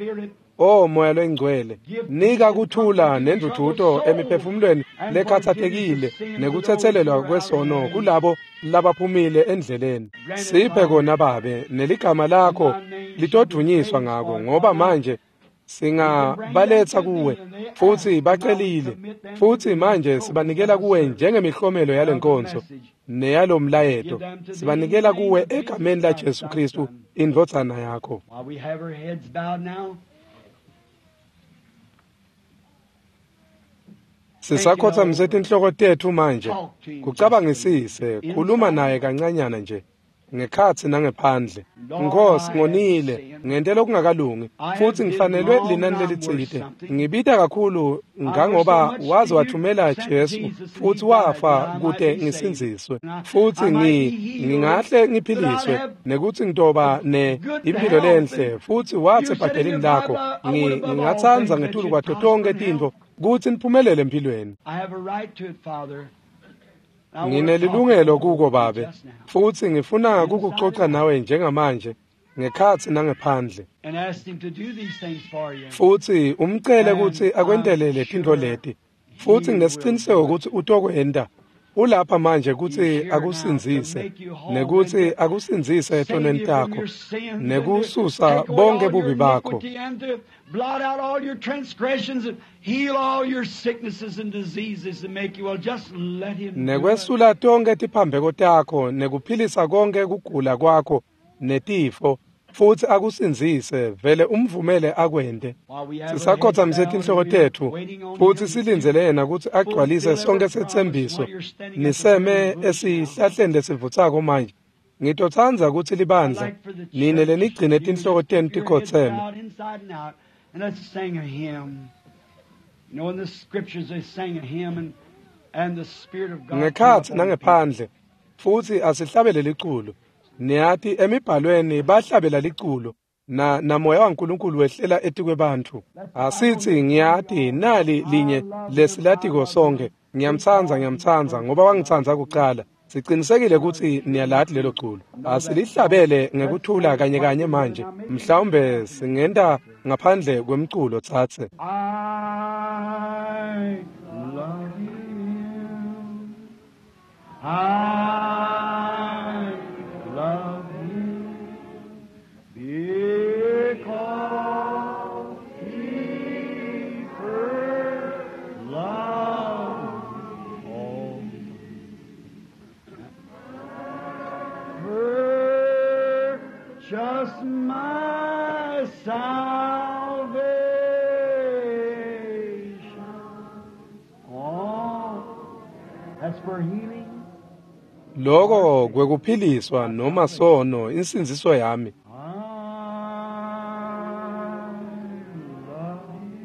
B: O Moya loNgcwele, nika kuthula nendvudvuto emiphefumulweni lekhatsatekile nekutsetselelwa kwesono kulabo labaphumile endleleni. Siphe kona Babe, neligama lakho litodvunyiswa ngako, ngoba manje singabaletsa kuwe, futsi bacelile, futsi manje sibanikela kuwe njengemihlomelo yalenkonzo neyalomlayeto. Sibanikela kuwe egameni la Jesu Khristu, indvodzana yakho. Sisakhotsamise tinhloko tetfu manje, kucabangisise, khuluma naye kancanyana nje, ngekhatsi nangephandle. Nkhosi, ngonile, ngente lokungakalungi, futsi ngifanelwe linani lelitsite. Ngibita kakhulu ngangoba waze wathumela Jesu futsi wafa kute ngisindziswe, futsi ngi ngingahle ngiphiliswe nekutsi ngitoba ne impilo lenhle. Futsi watsi ebhadelini lakho, ngingatsandza ngetulu kwato tonkhe tintfo kutsi niphumelele empilweni. Nginelilungelo kuko Babe, futsi ngifuna kukucoca nawe njengamanje, ngekhatsi nangephandle. Futsi umcele kutsi akwentele letintfo leti, futsi nginesiciniseko kutsi utokwenta. Ulapha manje kutsi akusindzise, nekutsi akusindzise etonweni takho, nekususa bonke bubi bakho,
A: blot out all your transgressions and heal all your sicknesses and diseases and make you well. Just let him.
B: Nekwesula tonke tiphambeko takho nekuphilisa konke kugula kwakho netifo, futsi akusindzise, vele umvumele akwente. Sisakhotsamise tinhloko tetfu futsi silindzele yena kutsi agcwalise sonke setsembiso. Niseme esihlahleni lesivutsako manje. Ngitotsandza kutsi libandla nine lenigcine tinhloko tenu tikhotseme.
A: And let's sing a hymn.
B: Ngekhatsi nangephandle, futsi asihlabele liculo. Niyati emibhalweni bahlabela liculo na namoya waNkulunkulu wehlela etikwebantfu. Asithi ngiyati nali linye lesilatiko sonke. Ngiyamtsandza ngiyamtsandza ngoba wangitsandza kuqala. Sicinisekile ukuthi niyalati lelo culo. Asilihlabele ngekuthula kanye kanye manje. Mhlawumbe singenta ngaphandle kwemculo tsatse.
A: I love you. I love you because he first loved me. Purchase my salvation. Oh, that's for healing.
B: Loko kwekuphiliswa noma sono insindziso yami.
A: I love you.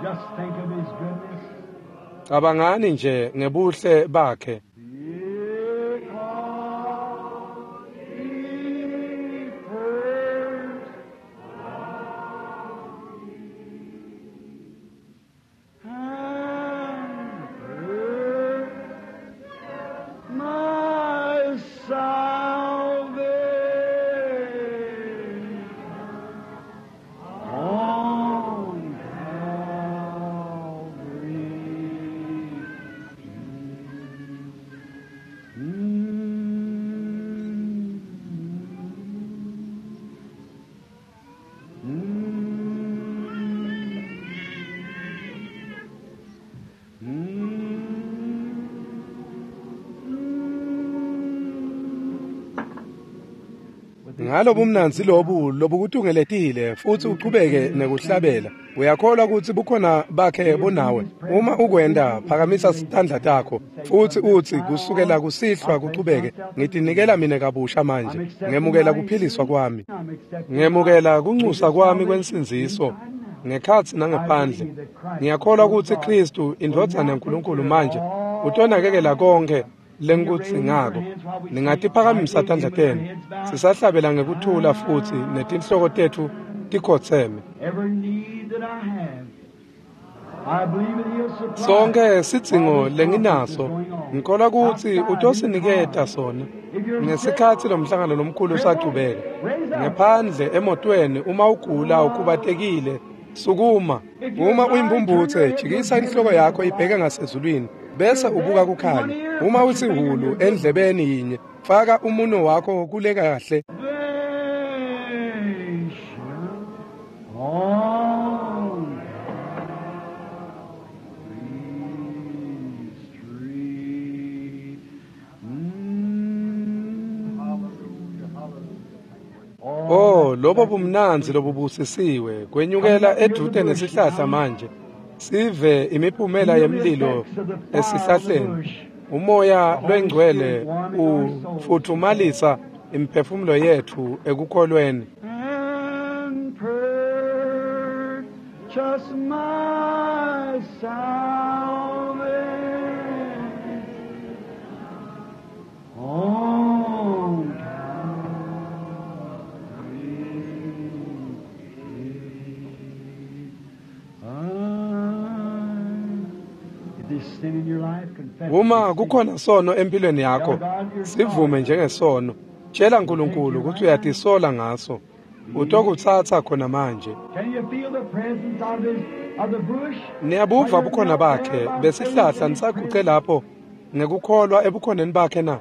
A: Just think of his goodness.
B: Cabangani nje ngebuhle bakhe.
A: Because he first loved me and purchased my salvation on Calvary.
B: Ngalobumnandzi lobu lobukutungeletile futhi uchubeke nekuhlabela. Uyakholwa ukuthi bukhona bakhe bunawe. Uma ukwenda phakamisa sitandla takho futhi uthi kusukela kusihlwa kuchubeke ngitinikela mina kabusha manje. Ngemukela kuphiliswa kwami. Ngemukela kunxusa kwami kwensindziso ngekhatsi nangephandle. Ngiyakholwa ukuthi Kristu indvodzana yaNkulunkulu manje utonakekela konke lengikudzingako. Ningatiphakamisa tandla tenu. Sisahlabela ngekuthula futhi netinhloko tetfu tikhotseme.
A: Every need that I have, I believe that he'll supply.
B: Sonke sidzingo lenginaso ngikholwa ukuthi utosiniketa sona ngesikhatsi lomhlangano lomkhulu usachubeka. Ngephandle emotweni uma ugula ukhubatekile sukuma. Uma uyimbumbutse jikisa inhloko yakho ibheke ngasezulwini bese ubuka kukhanya. Uma usihulu endlebeni yinye faka umuno wakho kule kahle.
A: Salvation on Calvary's tree. Mm.
B: Oh, lobo bumnandzi lobubusisiwe kwenyukela edvute nesihlahla manje. Sive imiphumela yemlilo esihlahleni. Umoya lwengcwele ufuthumalisa imiphefumulo yethu ekukholweni.
A: And purchase my salvation on Calvary. If there's sin in your life, confess it.
B: Uma kukhona sono empilweni yakho, sivume njengesono. Tshela uNkulunkulu ukuthi uyatisola ngaso. Utokutsatsa khona manje.
A: Can you feel the presence of his of the bush?
B: Niyabuva bukhona bakhe besihlahla nisaguce lapho ngekukholwa ebukhoneni bakhe na?